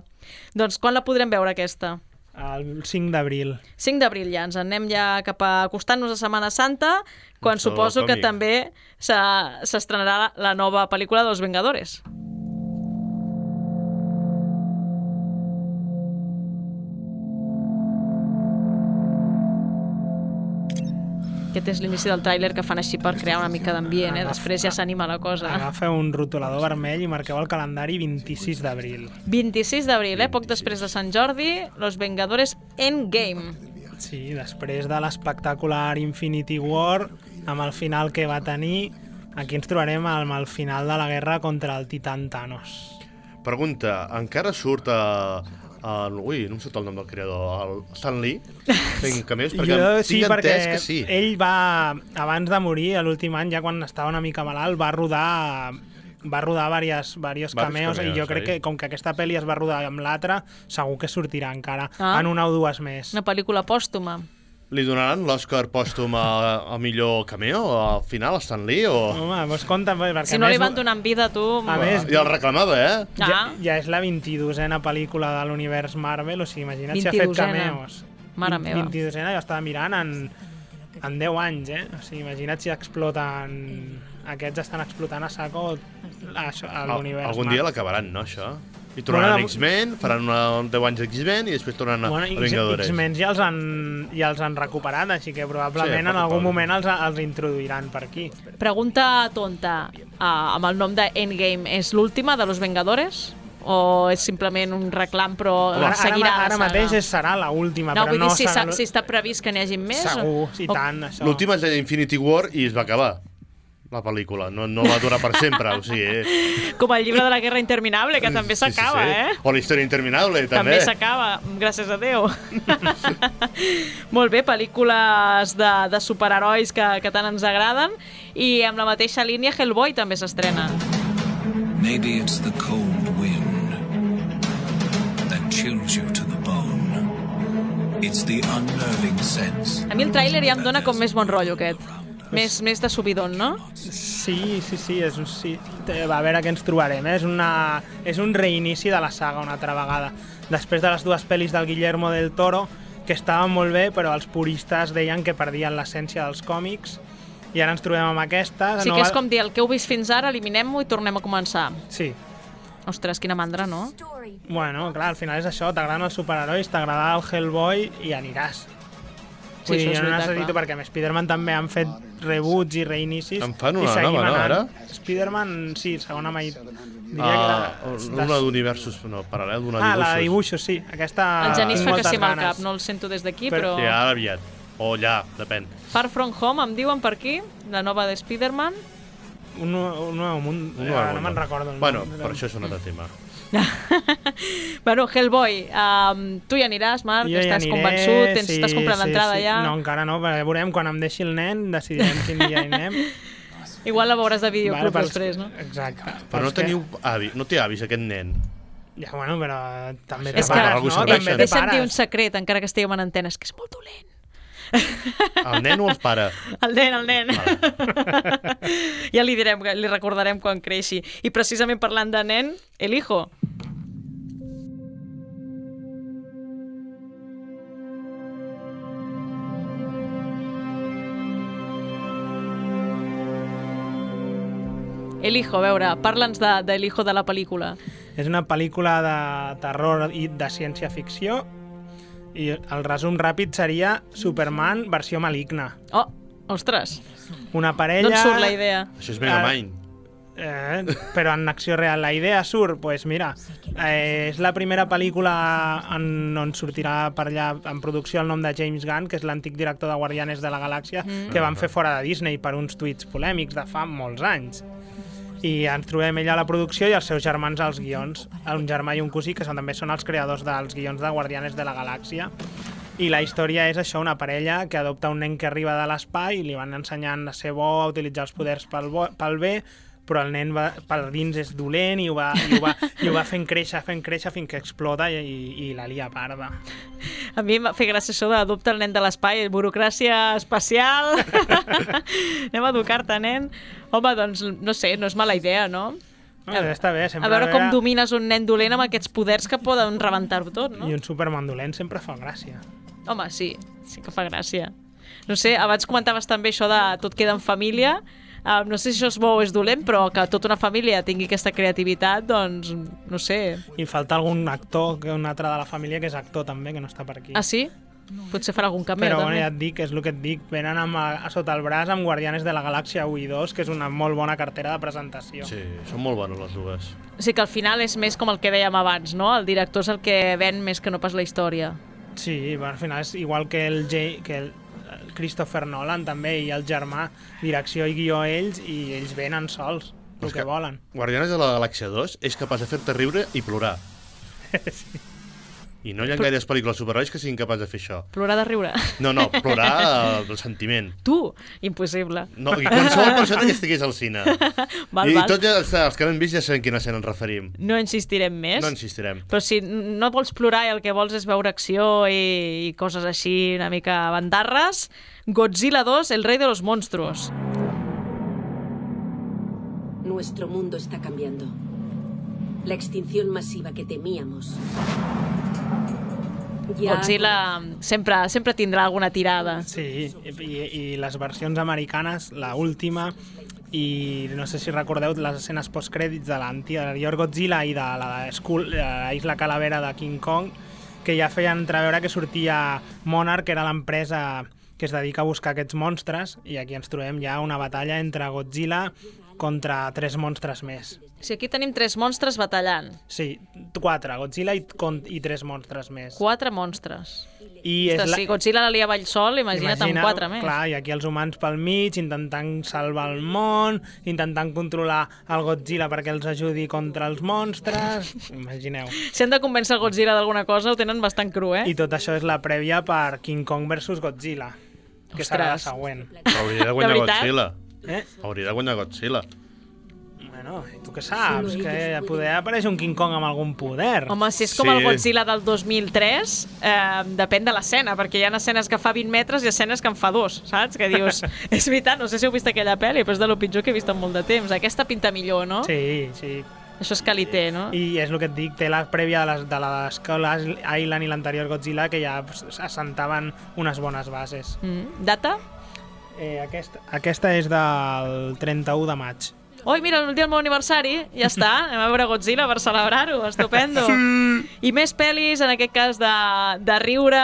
Doncs quan la podrem veure, aquesta? El cinc d'abril. cinc d'abril ja, ens anem ja cap a acostant-nos a Setmana Santa, quan Això, suposo que còmic. també s'estrenarà la nova pel·lícula dels Vengadores. Aquest és l'inici del tràiler que fan així per crear una mica d'ambient, eh? Després ja s'anima la cosa. Agafeu un rotulador vermell i marqueu el calendari vint-i-sis d'abril. vint-i-sis d'abril, eh? Poc després de Sant Jordi, Los Vengadores Endgame. Sí, després de l'espectacular Infinity War, amb el final que va tenir, aquí ens trobarem amb el final de la guerra contra el titan Thanos. Pregunta, encara surt a... Uh, ui, no em surt el nom del creador, el Stan Lee, fent cameos, perquè jo, tinc sí, entès perquè que sí. Ell va, abans de morir, l'últim any, ja quan estava una mica malalt, va rodar va rodar diversos, diversos cameos, cameos, i jo crec oi? que com que aquesta pel·li es va rodar amb l'altra, segur que sortirà encara ah, en una o dues més. Una pel·lícula pòstuma. Li donaran l'Oscar pòstum a, a millor cameo al final, a Stan Lee? O... Home, doncs compte, perquè si no li van donar vida, tu... A més, ja el reclamava, eh? Ah. Ja, ja és la vint-i-dosena pel·lícula de l'univers Marvel, o sigui, imagina't si ha fet cameos. Mare meva. vint-i-dosena, jo estava mirant en, en deu anys, eh? O sigui, imagina't si exploten... Aquests estan explotant a saco l'univers Algun Marvel. dia l'acabaran, no, això? I tornaran bueno, X-Men, faran una, deu anys d'X-Men i després tornaran a, bueno, a Vengadores. X-Men ja els, han, ja els han recuperat, així que probablement sí, en algun moment els, els introduiran per aquí. Pregunta tonta, uh, amb el nom de Endgame, és l'última de Los Vengadores? O és simplement un reclam, però ara, seguirà ara, ara mateix és, serà l'última, no, però no dir, serà... Si, si està previst que n'hi hagi més? Segur, o... i tant, això. L'última és d'Infinity War i es va acabar. La pel·lícula, no, no va durar per sempre, o sigui... Eh. Com el llibre de la Guerra Interminable, que també s'acaba, sí, sí, sí. eh? O la Història Interminable, també. També s'acaba, gràcies a Déu. Molt bé, pel·lícules de, de superherois que, que tant ens agraden, i amb la mateixa línia Hellboy també s'estrena. Maybe it's the cold wind that chills you to the bone. It's the unnerving sense. A mi el tràiler ja em dona com més bon rotllo, aquest. Més, més de subidon, no? Sí, sí, sí, és un, sí. A veure què ens trobarem, eh? és, una, és un reinici de la saga una altra vegada. Després de les dues pel·lis del Guillermo del Toro, que estaven molt bé, però els puristes deien que perdien l'essència dels còmics, i ara ens trobem amb aquesta. Sí que és com dir, el que heu vist fins ara, eliminem-ho i tornem a començar. Sí. Ostres, quina mandra, no? Bueno, clar, al final és això, t'agraden els superherois, t'agrada el Hellboy i aniràs. Sí, Vull dir, això és no veritat, necessito, clar. perquè amb Spider-Man també han fet reboots i reinicis. En fan una i nova, no, ara? Spider-Man, sí, segona mai... Diria ah, que era... Una d'universos, no, paral·lel d'una ah, dibuixos. la de dibuixos, sí. Aquesta... El Genís fa que sí amb el ganes. cap, no el sento des d'aquí, però... però... Sí, ara aviat. O ja, depèn. Far From Home, em diuen per aquí, la nova de Spider-Man. Un, un nou munt, un nou no me'n recordo. Bueno, però això és un altre tema. Bueno, Hellboy, um, tu hi aniràs, Marc? Jo estàs aniré, convençut? Tens, sí, estàs comprant sí, l'entrada sí. ja? No, encara no, perquè veurem quan em deixi el nen, decidirem quin dia hi anem. Igual la veuràs de videoclub vale, després, no? Exacte. Però no teniu avi, no té avis aquest nen. Ja, bueno, però també és té que, pares, no? També té deixa'm dir un secret, encara que estiguem en antena, és que és molt dolent. El nen o el pare? El nen, el nen. Vale. Ja li direm, li recordarem quan creixi. I precisament parlant de nen, el hijo. El hijo, a veure, parla'ns de, de El hijo de la pel·lícula. És una pel·lícula de terror i de ciència-ficció i el resum ràpid seria Superman versió maligna. Oh, ostres. Una parella... D'on surt la idea? Això és Megamind. Eh, però en acció real. La idea surt, doncs pues mira, eh, és la primera pel·lícula en, on sortirà per allà en producció el nom de James Gunn, que és l'antic director de Guardianes de la Galàxia, mm. que van fer fora de Disney per uns tuits polèmics de fa molts anys. I ens trobem ella a la producció i els seus germans als guions, un germà i un cosí, que són, també són els creadors dels guions de Guardianes de la Galàxia. I la història és això, una parella que adopta un nen que arriba de l'espai i li van ensenyant a ser bo, a utilitzar els poders pel, bo, pel bé, però el nen va, per dins és dolent i ho va, i ho va, i ho va fent créixer, fent créixer fins que explota i, i, i la lia parda. A mi em va fer gràcia això d'adoptar el nen de l'espai, burocràcia espacial. Anem a educar-te, nen. Home, doncs, no sé, no és mala idea, no? Ah, està bé, sempre a veure com era... domines un nen dolent amb aquests poders que poden rebentar-ho tot, no? I un Superman dolent sempre fa gràcia. Home, sí, sí que fa gràcia. No sé, abans comentaves també això de tot queda en família. Uh, no sé si això és bo o és dolent, però que tota una família tingui aquesta creativitat, doncs, no sé. I falta algun actor, que un altre de la família que és actor també, que no està per aquí. Ah, sí? Potser farà algun cameo, però també. Però bueno, ja et dic, és el que et dic, venen amb, a, a sota el braç amb Guardianes de la Galàxia u i dos, que és una molt bona cartera de presentació. Sí, són molt bones les dues. O sigui que al final és més com el que dèiem abans, no? El director és el que ven més que no pas la història. Sí, bueno, al final és igual que el, J, que el Christopher Nolan també, i el germà, direcció i guió ells, i ells venen sols el que, que volen. Guardianes de la Galàxia dos és capaç de fer-te riure i plorar. Sí. I no hi ha Però... gaires pel·lícules superherois que siguin capaç de fer això. Plorar de riure? No, no, plorar del sentiment. Tu? Impossible. No, i qualsevol persona que estigués al cine. val, I val. tots els, els que l'han vist ja saben quina escena ens referim. No insistirem més. No insistirem. Però si no vols plorar i el que vols és veure acció i, i coses així una mica bandarres, Godzilla dos, el rey de los monstruos. Nuestro mundo está cambiando. La extinción masiva que temíamos. Ja... Godzilla sempre, sempre tindrà alguna tirada. Sí, i, i les versions americanes, la última, i no sé si recordeu les escenes postcrèdits de l'anterior Godzilla i de la, Skull, la Isla Calavera de King Kong, que ja feien entreveure que sortia Monarch, que era l'empresa que es dedica a buscar aquests monstres, i aquí ens trobem ja una batalla entre Godzilla contra tres monstres més. O sigui, aquí tenim tres monstres batallant. Sí, quatre, Godzilla i, i tres monstres més. Quatre monstres. I és Ostres, la... si Godzilla la lia avall sol, imagina't Imagina, amb quatre més. Clar, i aquí els humans pel mig, intentant salvar el món, intentant controlar el Godzilla perquè els ajudi contra els monstres. Imagineu. Si han de convèncer el Godzilla d'alguna cosa, ho tenen bastant cru, eh? I tot això és la prèvia per King Kong versus Godzilla, que Ostres. serà la següent. Però hauria de guanyar Godzilla. Eh? Hauria de guanyar Godzilla. Bueno, tu què saps? Que poder apareix un King Kong amb algun poder. Home, si és com sí. el Godzilla del dos mil tres, eh, depèn de l'escena, perquè hi ha escenes que fa vint metres i escenes que en fa dos, saps? Que dius, és veritat, no sé si heu vist aquella pel·li, però és de lo pitjor que he vist en molt de temps. Aquesta pinta millor, no? Sí, sí. Això és qualité, no? I és el que et dic, té la prèvia de, les, de l'Skull Island i l'anterior Godzilla, que ja assentaven unes bones bases. Mm. Data? Eh, aquesta, aquesta és del trenta-u de maig. Oi, mira, el dia del meu aniversari, ja està, anem a veure Godzilla per celebrar-ho, estupendo. I més pel·lis, en aquest cas de, de riure,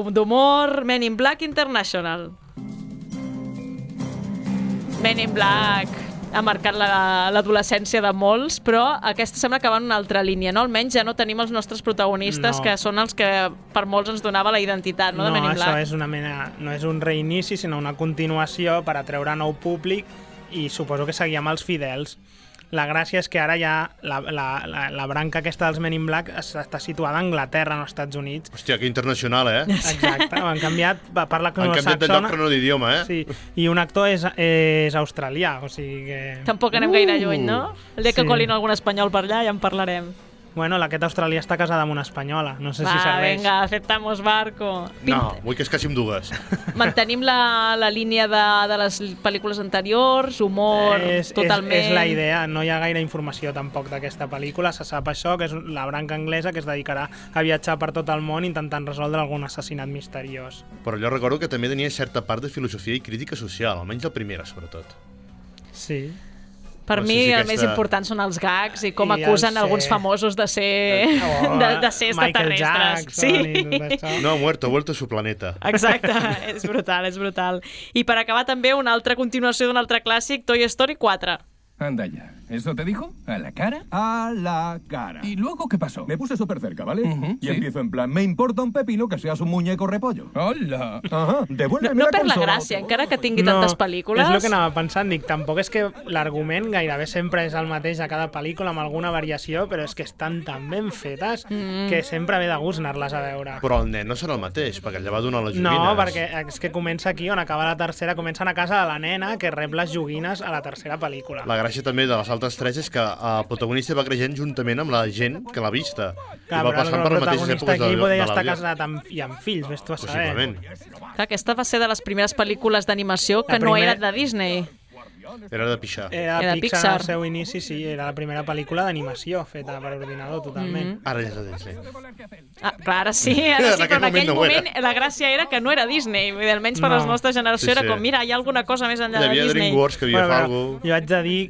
d'humor, Men in Black International. Men in Black ha marcat l'adolescència de molts, però aquesta sembla que va en una altra línia, no? Almenys ja no tenim els nostres protagonistes, no. que són els que per molts ens donava la identitat, no, de Men in Black. No, això és una mena, no és un reinici, sinó una continuació per atreure nou públic, i suposo que seguia amb els fidels. La gràcia és que ara ja la, la, la, la branca aquesta dels Men in Black està situada a Anglaterra, no als Estats Units. Hòstia, que internacional, eh? Exacte, han canviat, parla han canviat de lloc però no d'idioma, eh? Sí, i un actor és, és australià, o sigui que... Tampoc anem uh, gaire lluny, no? El dia que sí. colin algun espanyol per allà ja en parlarem. Bueno, aquest australià està casada amb una espanyola, no sé Va, si serveix. Vinga, aceptamos barco. No, vull que es casi amb dues. Mantenim la, la línia de, de les pel·lícules anteriors, humor, és, totalment... És, és la idea, no hi ha gaire informació tampoc d'aquesta pel·lícula, se sap això, que és la branca anglesa que es dedicarà a viatjar per tot el món intentant resoldre algun assassinat misteriós. Però jo recordo que també tenia certa part de filosofia i crítica social, almenys la primera, sobretot. Sí. Per no mi sé si el aquesta... més important són els gags i com I acusen ser... alguns famosos de ser, oh, de, de ser extraterrestres. Sí. No ha muerto, ha vuelto a su planeta. Exacte, és brutal, és brutal. I per acabar també una altra continuació d'un altre clàssic, Toy Story quatre. Anda ya. ¿Eso te dijo? ¿A la cara? A la cara. ¿Y luego qué pasó? Me puse súper cerca, ¿vale? Uh-huh, y ¿sí? empiezo en plan, me importa un pepino que seas un muñeco repollo. ¡Hola! Ajá, devuélveme no, no la per la consola. gràcia, encara que tingui no, tantes pel·lícules... És el que anava pensant, dic, tampoc és que l'argument gairebé sempre és el mateix a cada pel·lícula amb alguna variació, però és que estan tan ben fetes mm. que sempre ve de gust anar-les a veure. Però el nen no serà el mateix, perquè ella va donar les joguines. No, perquè és que comença aquí, on acaba la tercera, comencen a casa de la nena que rep les joguines a la tercera pel·lícula. La gràcia també de les altres tres és que el protagonista va creixent juntament amb la gent que l'ha vista. Clar, I va passant per les mateixes èpoques de, de la vida. Estar casat amb, i amb fills, ves tu a saber. Possiblement. Clar, aquesta va ser de les primeres pel·lícules d'animació que primera... no eren de Disney. Era de Pixar. Era de Pixar, al seu inici, sí, era la primera pel·lícula d'animació feta per ordinador, totalment. Mm-hmm. Ara ja és de Disney. Ah, clar, ara sí, ara sí, però en aquell moment la gràcia era que no era Disney, vull dir, almenys per la nostra generació era com, mira, hi ha alguna cosa més enllà de Disney. Hi havia DreamWorks que havia fet alguna cosa. Jo haig de dir,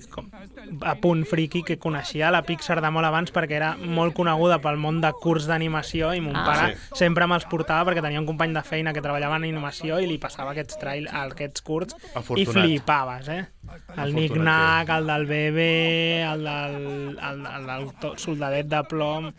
a punt friki, que coneixia la Pixar de molt abans perquè era molt coneguda pel món de curs d'animació i mon Ah. pare Sí. sempre me'ls portava perquè tenia un company de feina que treballava en animació i li passava aquests trail, aquests curts i Afortunat. flipaves, eh? El Nick Nack, el del bebè, el del, el, el del to- soldadet de plom...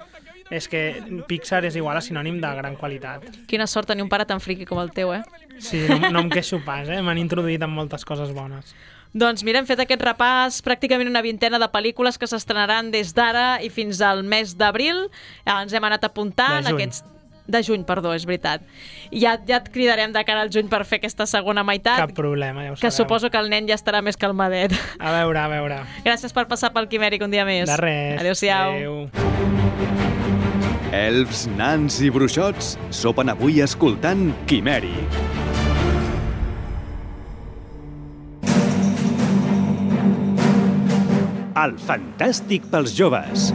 És que Pixar és igual a sinònim de gran qualitat. Quina sort tenir un pare tan friqui com el teu, eh? Sí, no, no em queixo pas, eh? M'han introduït en moltes coses bones. Doncs mira, hem fet aquest repàs, pràcticament una vintena de pel·lícules que s'estrenaran des d'ara i fins al mes d'abril. Ens hem anat apuntant De juny. aquests... De juny, perdó, és veritat. Ja, ja et cridarem de cara al juny per fer aquesta segona meitat. Cap problema, ja ho Que sabeu. suposo que el nen ja estarà més calmadet. A veure, a veure. Gràcies per passar pel Quimèric un dia més. De res. Adéu-siau. Adéu. Elfs, nans i bruixots sopen avui escoltant Quimèric. El fantàstic pels joves.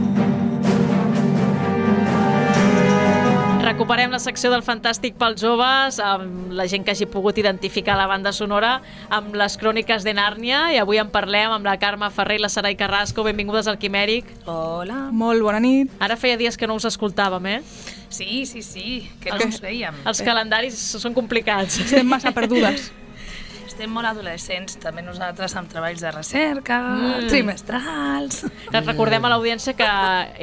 Recuperem la secció del Fantàstic pels joves amb la gent que hagi pogut identificar la banda sonora amb les cròniques de Nàrnia i avui en parlem amb la Carme Ferrer i la Sarai Carrasco. Benvingudes al Quimèric. Hola. Molt bona nit. Ara feia dies que no us escoltàvem, eh? Sí, sí, sí, que no Els- ens veiem. Els calendaris són complicats. Estem massa perdudes. Estem molt adolescents, també nosaltres, amb treballs de recerca, Mm. trimestrals... Que recordem a l'audiència que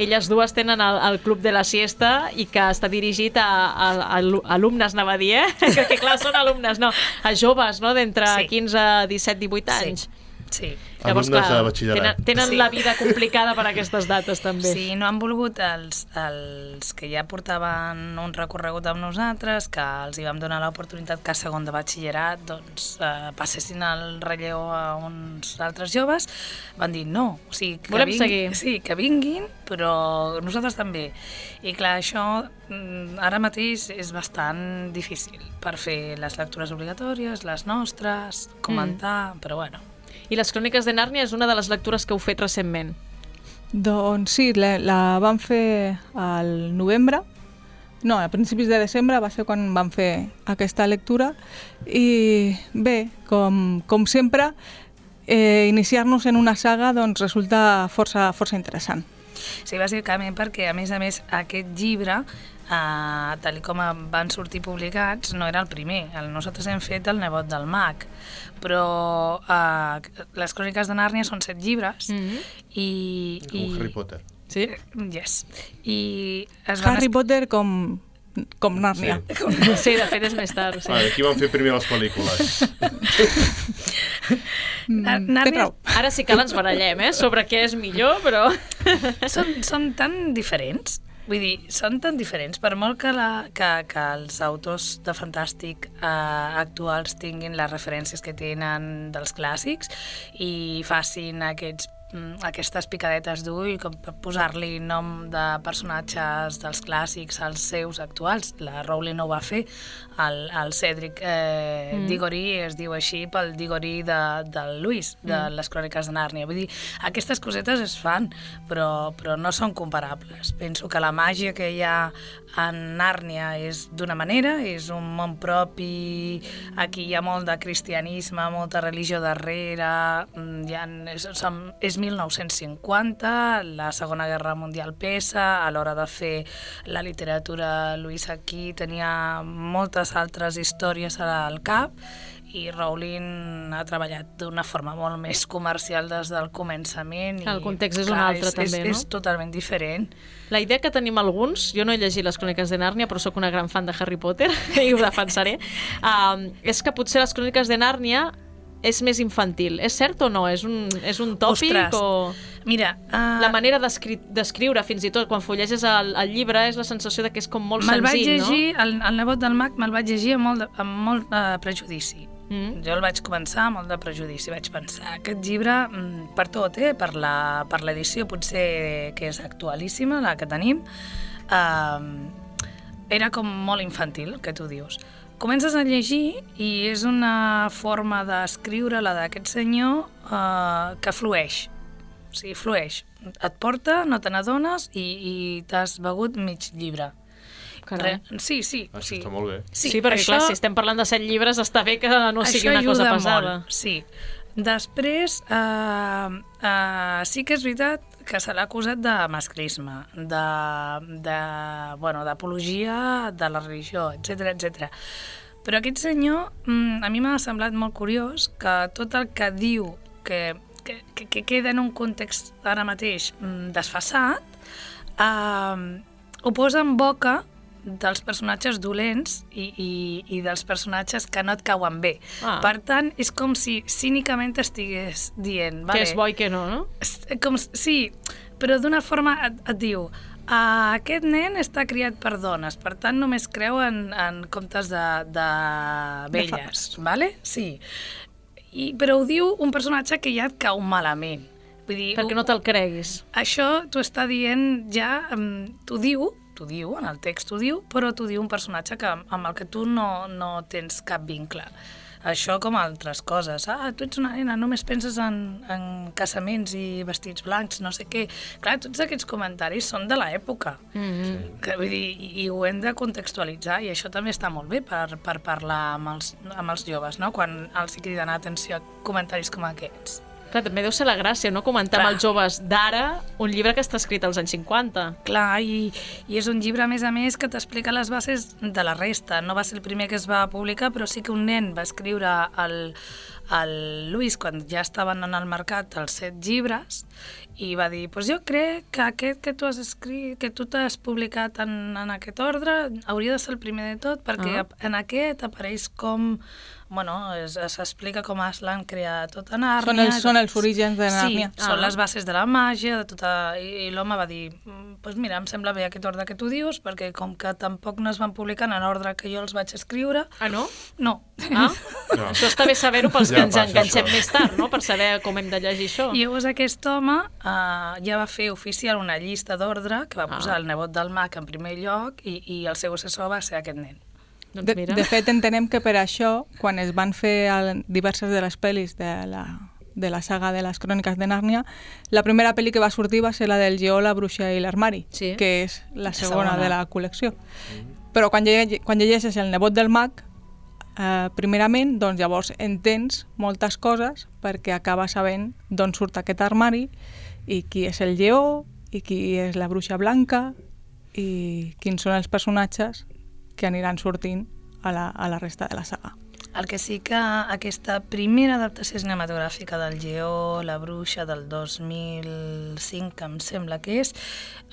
elles dues tenen el, el Club de la Siesta i que està dirigit a, a, a alumnes, anava a dir, eh? Que, que clar, són alumnes, no, a joves, no?, d'entre Sí. quinze, disset, divuit anys. Sí. Llavors, Alumnes clar, de batxillerat. tenen, tenen Sí. la vida complicada per aquestes dates, també. Sí, no han volgut els, els que ja portaven un recorregut amb nosaltres, que els hi vam donar l'oportunitat que a segon de batxillerat doncs, eh, passessin el relleu a uns altres joves, van dir no, o sigui, que Volem vingui- seguir. Sí, que vinguin, però nosaltres també. I clar, això mm, ara mateix és bastant difícil per fer les lectures obligatòries, les nostres, comentar, mm. però bueno. I les cròniques de Nàrnia és una de les lectures que heu fet recentment. Doncs sí, la, la vam fer al novembre, no, a principis de desembre va ser quan vam fer aquesta lectura i bé, com, com sempre, eh, iniciar-nos en una saga doncs, resulta força, força interessant. Sí, bàsicament perquè, a més a més, aquest llibre, eh, tal com van sortir publicats, no era el primer. El, nosaltres hem fet El nebot del mag, però eh, les cròniques de Nàrnia són set llibres Mm-hmm. i... Com i Harry Potter. Sí? Yes. I es van Harry Potter com, com Nàrnia. Sí. Sí, de fet és més tard. Sí. Vale, aquí van fer primer les pel·lícules. Nar- Mm, té Nàrnia... prou. Ara sí que ens barallem, eh?, sobre què és millor, però... són, són tan diferents, vull dir, són tan diferents, per molt que, la, que, que els autors de fantàstic eh, actuals tinguin les referències que tenen dels clàssics i facin aquests mm, aquestes picadetes d'ull com per posar-li nom de personatges dels clàssics als seus actuals. La Rowling no ho va fer, el, el Cedric eh, Mm. Diggory es diu així pel Diggory de, del Lewis, de Mm. les cròniques de Nàrnia. Vull dir, aquestes cosetes es fan, però, però no són comparables. Penso que la màgia que hi ha en Nàrnia és d'una manera, és un món propi, aquí hi ha molt de cristianisme, molta religió darrere, mm, hi ha, és, som, és mil nou-cents cinquanta, la Segona Guerra Mundial pesa, a l'hora de fer la literatura Lewis aquí tenia moltes altres històries al cap i Rowling ha treballat d'una forma molt més comercial des del començament. I, El context és un clar, altre, és, també, és, no? És totalment diferent. La idea que tenim alguns, jo no he llegit les cròniques de Nàrnia, però sóc una gran fan de Harry Potter, i ho defensaré, um, és que potser les cròniques de Nàrnia és més infantil. És cert o no? És un, és un tòpic? Ostres, o... mira... Uh... La manera d'escriure, fins i tot, quan fulleges el, el llibre, és la sensació de que és com molt me'l vaig senzill, llegir, no? el, el nebot del mag me'l vaig llegir amb molt de, amb molt de prejudici. Mm. Jo el vaig començar amb molt de prejudici. Vaig pensar, aquest llibre, mm, per tot, eh? per la- per l'edició potser que és actualíssima, la que tenim, eh, era com molt infantil, que tu dius. comences a llegir i és una forma d'escriure la d'aquest senyor uh, que flueix. O sigui, flueix. Et porta, no te n'adones i, i t'has begut mig llibre. Re, sí, sí. Això sí. està molt bé. Sí, sí perquè això, clar, si estem parlant de set llibres, està bé que no sigui una cosa pesada. Molt, sí. Després, uh, uh, sí que és veritat que se l'ha acusat de masclisme, de, de, bueno, d'apologia de la religió, etcètera, etcètera. Però aquest senyor, a mi m'ha semblat molt curiós que tot el que diu que, que, que queda en un context ara mateix desfasat, eh, ho posa en boca dels personatges dolents i, i, i dels personatges que no et cauen bé. Ah. Per tant, és com si cínicament estigués dient... Que vale, és bo i que no, no? Com, sí, però d'una forma et, et diu uh, aquest nen està criat per dones, per tant només creu en, en contes de, de velles, vale? Sí. I, però ho diu un personatge que ja et cau malament. Vull dir, perquè no te'l creguis. Això t'ho està dient ja, um, t'ho diu, t'ho diu, en el text t'ho diu, però t'ho diu un personatge que, amb el que tu no, no tens cap vincle. Això com altres coses. Ah, tu ets una nena, només penses en, en casaments i vestits blancs, no sé què. Clar, tots aquests comentaris són de l'època. Mm-hmm. Que, vull dir, i, i ho hem de contextualitzar, i això també està molt bé per, per parlar amb els, amb els joves, no? Quan els hi criden atenció a comentaris com aquests. Clar, també deu ser la gràcia, no? Comentar Clar. amb els joves d'ara un llibre que està escrit als anys cinquanta. Clar, i, i és un llibre, a més a més, que t'explica les bases de la resta. No va ser el primer que es va publicar, però sí que un nen va escriure el, el Lluís, quan ja estaven en el mercat els set llibres, i va dir, pues jo crec que aquest que tu has escrit, que tu t'has publicat en, en aquest ordre, hauria de ser el primer de tot, perquè uh-huh. en aquest apareix com... Bueno, s'explica com Aslan crea tota Nàrnia. Són els, són els orígens de Nàrnia. Sí, ah. són les bases de la màgia, de tota... I, i l'home va dir, pues mira, em sembla bé aquest ordre que tu dius, perquè com que tampoc no es van publicar en l'ordre que jo els vaig escriure... Ah, no? No. Ah? No. Això està bé saber-ho pels ja que ens enganxem això. Més tard, no?, per saber com hem de llegir això. I llavors aquest home uh, ja va fer oficial una llista d'ordre que va posar ah. el nebot del mag en primer lloc i, i el seu assessor va ser aquest nen. De, de fet, entenem que per això, quan es van fer el, diverses de les pel·lis de la, de la saga de les Cròniques de Nàrnia, la primera pel·li que va sortir va ser la del Lleó, la bruixa i l'armari, sí. que és la segona, segona de la col·lecció. Mm. Però quan, lleg quan llegeixes El nebot del mag, eh, primerament, doncs llavors entens moltes coses perquè acabes sabent d'on surt aquest armari i qui és el Lleó i qui és la bruixa blanca i quins són els personatges que aniran sortint a la, a la resta de la saga. El que sí que aquesta primera adaptació cinematogràfica del Lleó, la bruixa del dos mil cinc, em sembla que és,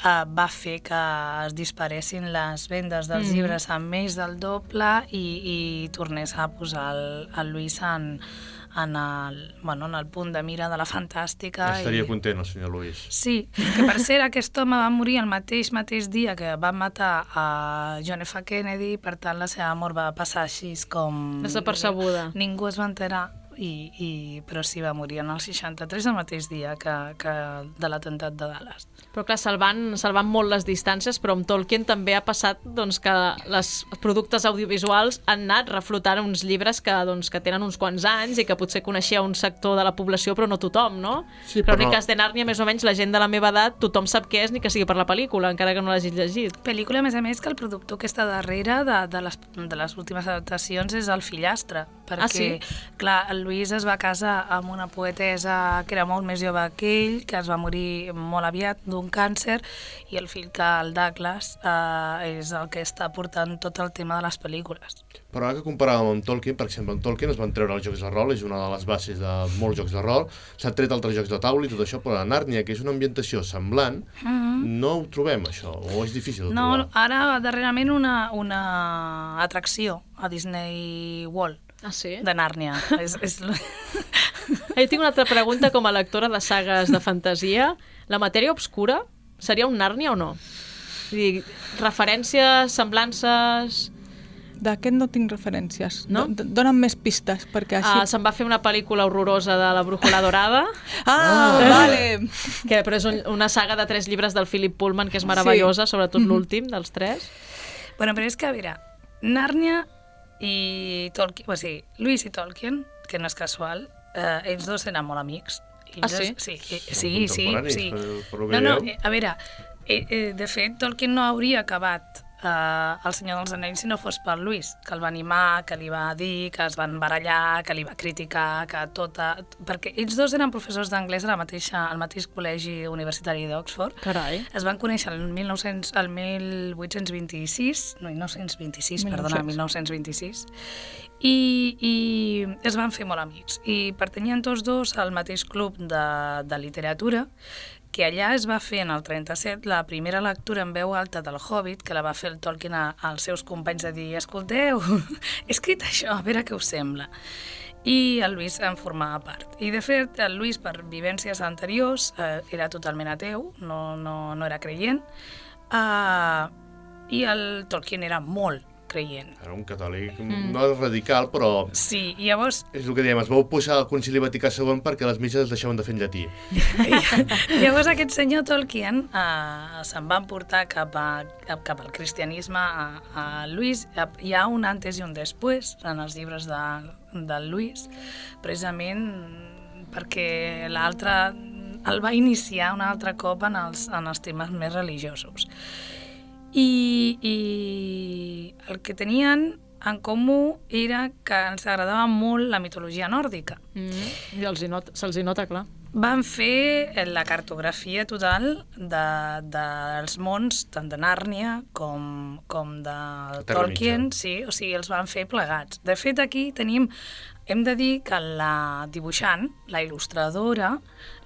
uh, va fer que es disparessin les vendes dels mm. llibres a més del doble i, i tornés a posar el, el Lluís en, en, el, bueno, en el punt de mira de la fantàstica. Estaria i... content el senyor Lluís. Sí, que per cert aquest home va morir el mateix mateix dia que van matar a John F. Kennedy, per tant la seva mort va passar així com... Desapercebuda. Ningú es va enterar, i, i, però sí va morir en el seixanta-tres, el mateix dia que, que de l'atemptat de Dallas. Però clar, salvant, salvant molt les distàncies, però amb Tolkien també ha passat doncs, que els productes audiovisuals han anat reflotant uns llibres que, doncs, que tenen uns quants anys i que potser coneixia un sector de la població, però no tothom, no? Sí, Cròniques de Nàrnia, més o menys, la gent de la meva edat, tothom sap què és, ni que sigui per la pel·lícula, encara que no l'hagis llegit. Pel·lícula, a més a més, que el productor que està darrere de, de, les, de les últimes adaptacions és el fillastre, perquè, ah, sí? clar, el Lluís es va casar amb una poetessa que era molt més jove que ell, que es va morir molt aviat d'un càncer, i el fill que el Douglas eh, és el que està portant tot el tema de les pel·lícules. Però ara que comparàvem amb Tolkien, per exemple, amb Tolkien es van treure els jocs de rol, és una de les bases de molts jocs de rol, s'han tret altres jocs de taula i tot això, però a Nàrnia, que és una ambientació semblant, mm-hmm. no ho trobem, això, o és difícil de no, trobar? No, ara darrerament una, una atracció a Disney World. Ah, sí? De Nàrnia. és, és... Jo tinc una altra pregunta com a lectora de sagues de fantasia. La matèria obscura seria un Nàrnia o no? Vull dir, referències, semblances... D'aquest no tinc referències. No? Dóna'm més pistes, perquè així... Ah, se'n va fer una pel·lícula horrorosa de La brújula dorada. ah, ah, vale! Que, però és un, una saga de tres llibres del Philip Pullman, que és meravellosa, sí. sobretot mm-hmm. l'últim dels tres. Bueno, però és que, a veure, Nàrnia i Tolkien, o sigui, Lewis i Tolkien, que no és casual, eh, ells dos eren molt amics. Ah, sí? Sí, sí, sí. sí, sí. Per, per no, no, a veure, eh, eh, de fet, Tolkien no hauria acabat Uh, El Senyor dels Anells si no fos per Lewis, que el va animar, que li va dir, que es van barallar, que li va criticar, que tota... Perquè ells dos eren professors d'anglès al mateix col·legi universitari d'Oxford. Carai. Es van conèixer el, mil nou-cents, el mil vuit-cents vint-i-sis, no, mil nou-cents vint-i-sis, perdona, mil nou-cents vint-i-sis, i, i es van fer molt amics. I pertanyien tots dos al mateix club de, de literatura, que allà es va fer en el trenta-set la primera lectura en veu alta del Hobbit, que la va fer el Tolkien a, als seus companys de dir, escolteu, he escrit això, a veure què us sembla. I el Lewis en formava part. I de fet, el Lewis, per vivències anteriors, eh, era totalment ateu, no, no, no era creient, eh, i el Tolkien era molt creient. Era un catòlic, mm. no radical, però... Sí, i llavors... És el que diem, es va oposar al Concili Vaticà segon perquè les misses es deixaven de fer en llatí. Llavors aquest senyor Tolkien eh, se'n va portar cap, a, cap al cristianisme a, a Lewis. Hi ha un antes i un després en els llibres de, del Lewis, precisament perquè l'altre el va iniciar un altre cop en els, en els temes més religiosos. I, i el que tenien en comú era que ens agradava molt la mitologia nòrdica. Mm, I els hi not, se'ls hi nota, clar. Van fer la cartografia total de, dels mons, tant de Nàrnia com, com de Tolkien, sí, o sigui, els van fer plegats. De fet, aquí tenim, hem de dir que la dibuixant, la il·lustradora,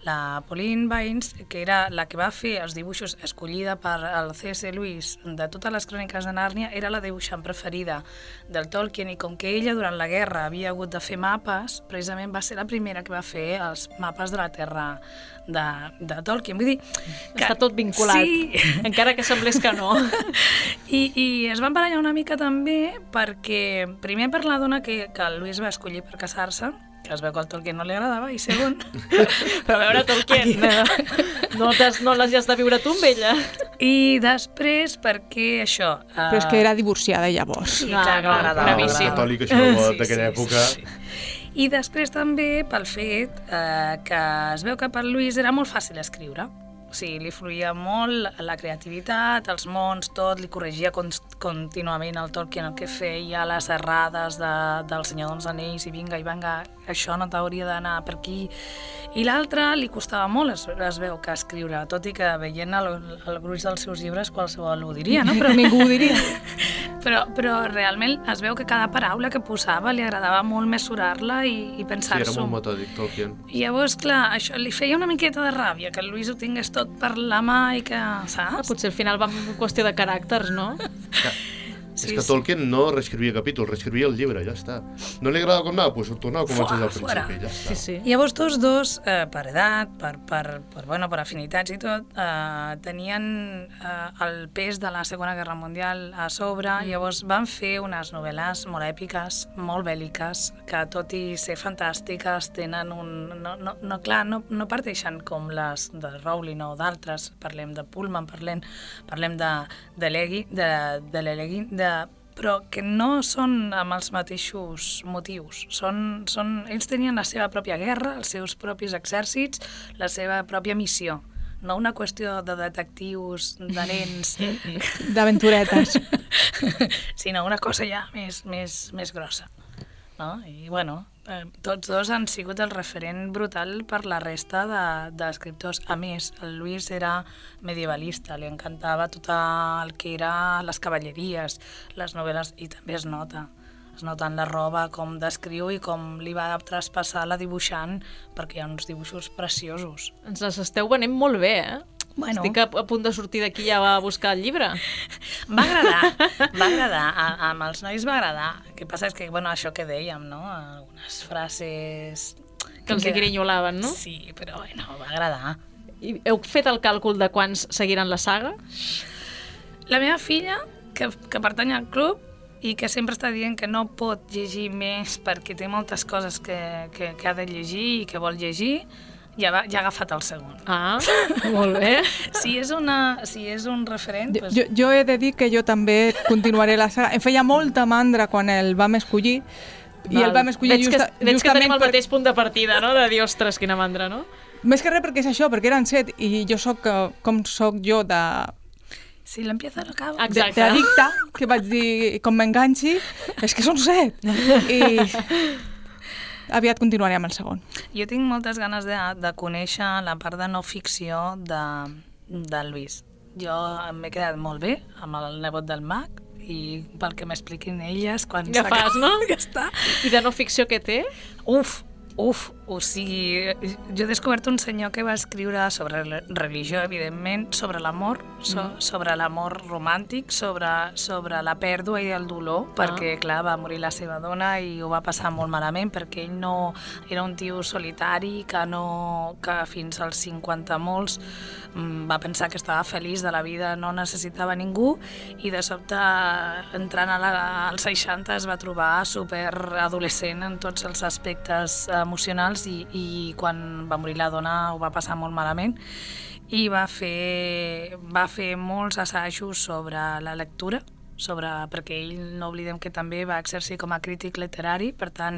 la Pauline Baynes, que era la que va fer els dibuixos escollida per el C S Lewis de totes les cròniques de Nàrnia, era la dibuixant preferida del Tolkien, i com que ella durant la guerra havia hagut de fer mapes, precisament va ser la primera que va fer els mapes de la Terra de, de Tolkien. Vull dir que... Està tot vinculat, sí. Encara que semblés que no. I, I es van barallar una mica també perquè, primer per la dona que, que el Lewis va escollir per casar-se, que es veu que al Tolkien no li agradava, i segon... Però a veure, Tolkien, no, no les has de viure tu amb ella. I després, perquè això... Uh... Però és que era divorciada llavors. Sí, clar, no, agradava. Gravíssim. Catòlic, això sí, d'aquella sí, època... Sí, sí. I després també pel fet eh, que es veu que per Lewis era molt fàcil escriure. O sigui, li fluïa molt la creativitat, els mons, tot, li corregia contínuament el Tolkien el que feia, les errades de, del Senyor dels Anells, i vinga, i vinga, això no t'hauria d'anar per aquí. I l'altre li costava molt, es, es veu, que escriure, tot i que veient el, el gruix dels seus llibres qualsevol ho diria, no? Però ningú ho diria. Però, però realment es veu que cada paraula que posava li agradava molt mesurar-la i, i pensar-s'ho. Sí, era molt metòdic, Tolkien. I llavors, clar, això li feia una miqueta de ràbia, que el Lewis ho tingués tot per la mà i que, saps? Ah, potser al final va en qüestió de caràcters, no? Ja. Sí, és que Tolkien sí. no reescrivia capítols, reescrivia el llibre, ja està. No li agrada com anava? Doncs ho tornava a començar al principi, ja està. Sí, sí. Llavors tots dos, eh, per edat, per, per, per, bueno, per afinitats i tot, eh, tenien eh, el pes de la Segona Guerra Mundial a sobre, mm. llavors van fer unes novel·les molt èpiques, molt bèl·liques, que tot i ser fantàstiques tenen un... No, no, no, clar, no, no parteixen com les de Rowling o d'altres, parlem de Pullman, parlem, parlem de, de l'Egui, de, de l'Elegui, de però que no són amb els mateixos motius. Són, són, ells tenien la seva pròpia guerra, els seus propis exèrcits, la seva pròpia missió. No una qüestió de detectius, de nens... D'aventuretes. Sinó una cosa ja més, més, més grossa. No? I, bueno, eh, tots dos han sigut el referent brutal per la resta d'escriptors. De, a més, el Lewis era medievalista, li encantava tot el que era les cavalleries, les novel·les, i també es nota. Es nota en la roba com descriu i com li va traspassar la dibuixant, perquè hi ha uns dibuixos preciosos. Ens les esteu venent molt bé, eh? Bueno. Estic a, a punt de sortir d'aquí ja a buscar el llibre. Va agradar, va agradar, a, amb els nois va agradar. El que passa és que, bueno, això que dèiem, no? Algunes frases... Que els que... grinyolaven, no? Sí, però, bueno, va agradar. I heu fet el càlcul de quants seguiran la saga? La meva filla, que, que pertany al club, i que sempre està dient que no pot llegir més perquè té moltes coses que, que, que ha de llegir i que vol llegir, ja, va, ja ha agafat el segon. Ah, molt bé. Si és, una, si és un referent... Jo, Doncs... jo, jo he de dir que jo també continuaré la saga. Em feia molta mandra quan el vam escollir, i el vam escollir veig justa, que, veig justament... que tenim el per... mateix punt de partida, no? De dir, ostres, quina mandra, no? Més que res perquè és això, perquè eren set, i jo soc, com soc jo, de... Si l'empieza no acaba. Exacte. D'addicta, que vaig dir, com m'enganxi, és que són set. I aviat continuaré amb el segon. Jo tinc moltes ganes de, de conèixer la part de no ficció de, del Lluís. Jo m'he quedat molt bé amb el nebot del mag, i pel que m'expliquin elles quan ja fas, no? Ja està. I de no ficció què té? Uf, uf, o sigui, jo he descobert un senyor que va escriure sobre religió, evidentment, sobre l'amor, so, mm. sobre l'amor romàntic, sobre, sobre la pèrdua i el dolor, ah. perquè, clar, va morir la seva dona i ho va passar molt malament, perquè ell no era un tio solitari que, no, que fins als cinquanta molts va pensar que estava feliç de la vida, no necessitava ningú, i de sobte, entrant a la, als seixanta, es va trobar superadolescent en tots els aspectes emocionals, i, i quan va morir la dona ho va passar molt malament, i va fer, va fer molts assajos sobre la lectura, sobre, perquè ell, no oblidem que també va exercir com a crític literari, per tant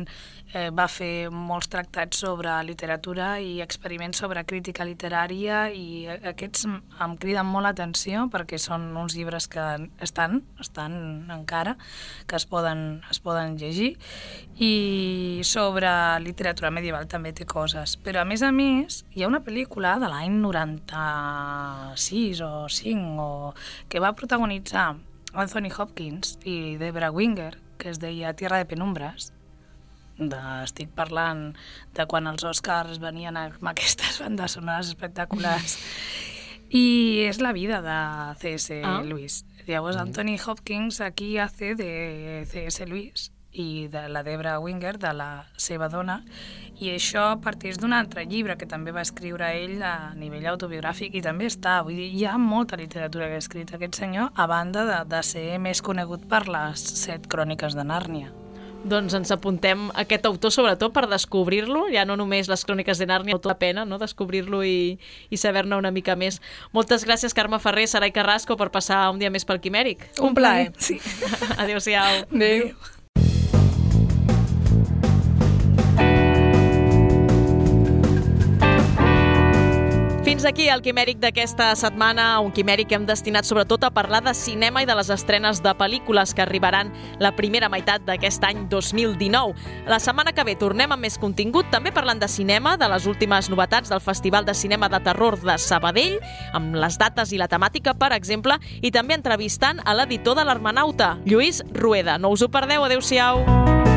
eh, va fer molts tractats sobre literatura i experiments sobre crítica literària, i aquests em criden molt l'atenció perquè són uns llibres que estan, estan encara, que es poden, es poden llegir, i sobre literatura medieval també té coses, però a més a més hi ha una pel·lícula de l'any noranta-sis o cinc o, que va protagonitzar Anthony Hopkins i Debra Winger, que es deia Tierra de penumbres. De, estic parlant de quan els Oscars venien amb aquestes bandes sonores espectaculars. I és la vida de C S. Ah. Lewis. Llavors, Anthony Hopkins aquí hace de C S. Lewis i de la Debra Winger, de la seva dona, i això parteix d'un altre llibre que també va escriure ell a nivell autobiogràfic, i també està, vull dir, hi ha molta literatura que ha escrit aquest senyor, a banda de, de ser més conegut per les set cròniques de Nàrnia. Doncs ens apuntem aquest autor sobretot per descobrir-lo, ja no només les cròniques de Nàrnia, tot la pena, no? Descobrir-lo i, i saber-ne una mica més. Moltes gràcies, Carme Ferrer, Sarai Carrasco, per passar un dia més pel Quimèric. Un plaer. Sí. Adéu-siau. Adéu. Fins aquí el Quimèric d'aquesta setmana, un Quimèric que hem destinat sobretot a parlar de cinema i de les estrenes de pel·lícules que arribaran la primera meitat d'aquest any dos mil dinou. La setmana que ve tornem amb més contingut, també parlant de cinema, de les últimes novetats del Festival de Cinema de Terror de Sabadell, amb les dates i la temàtica, per exemple, i també entrevistant a l'editor de l'Hermanauta, Lluís Rueda. No us ho perdeu, adéu-siau!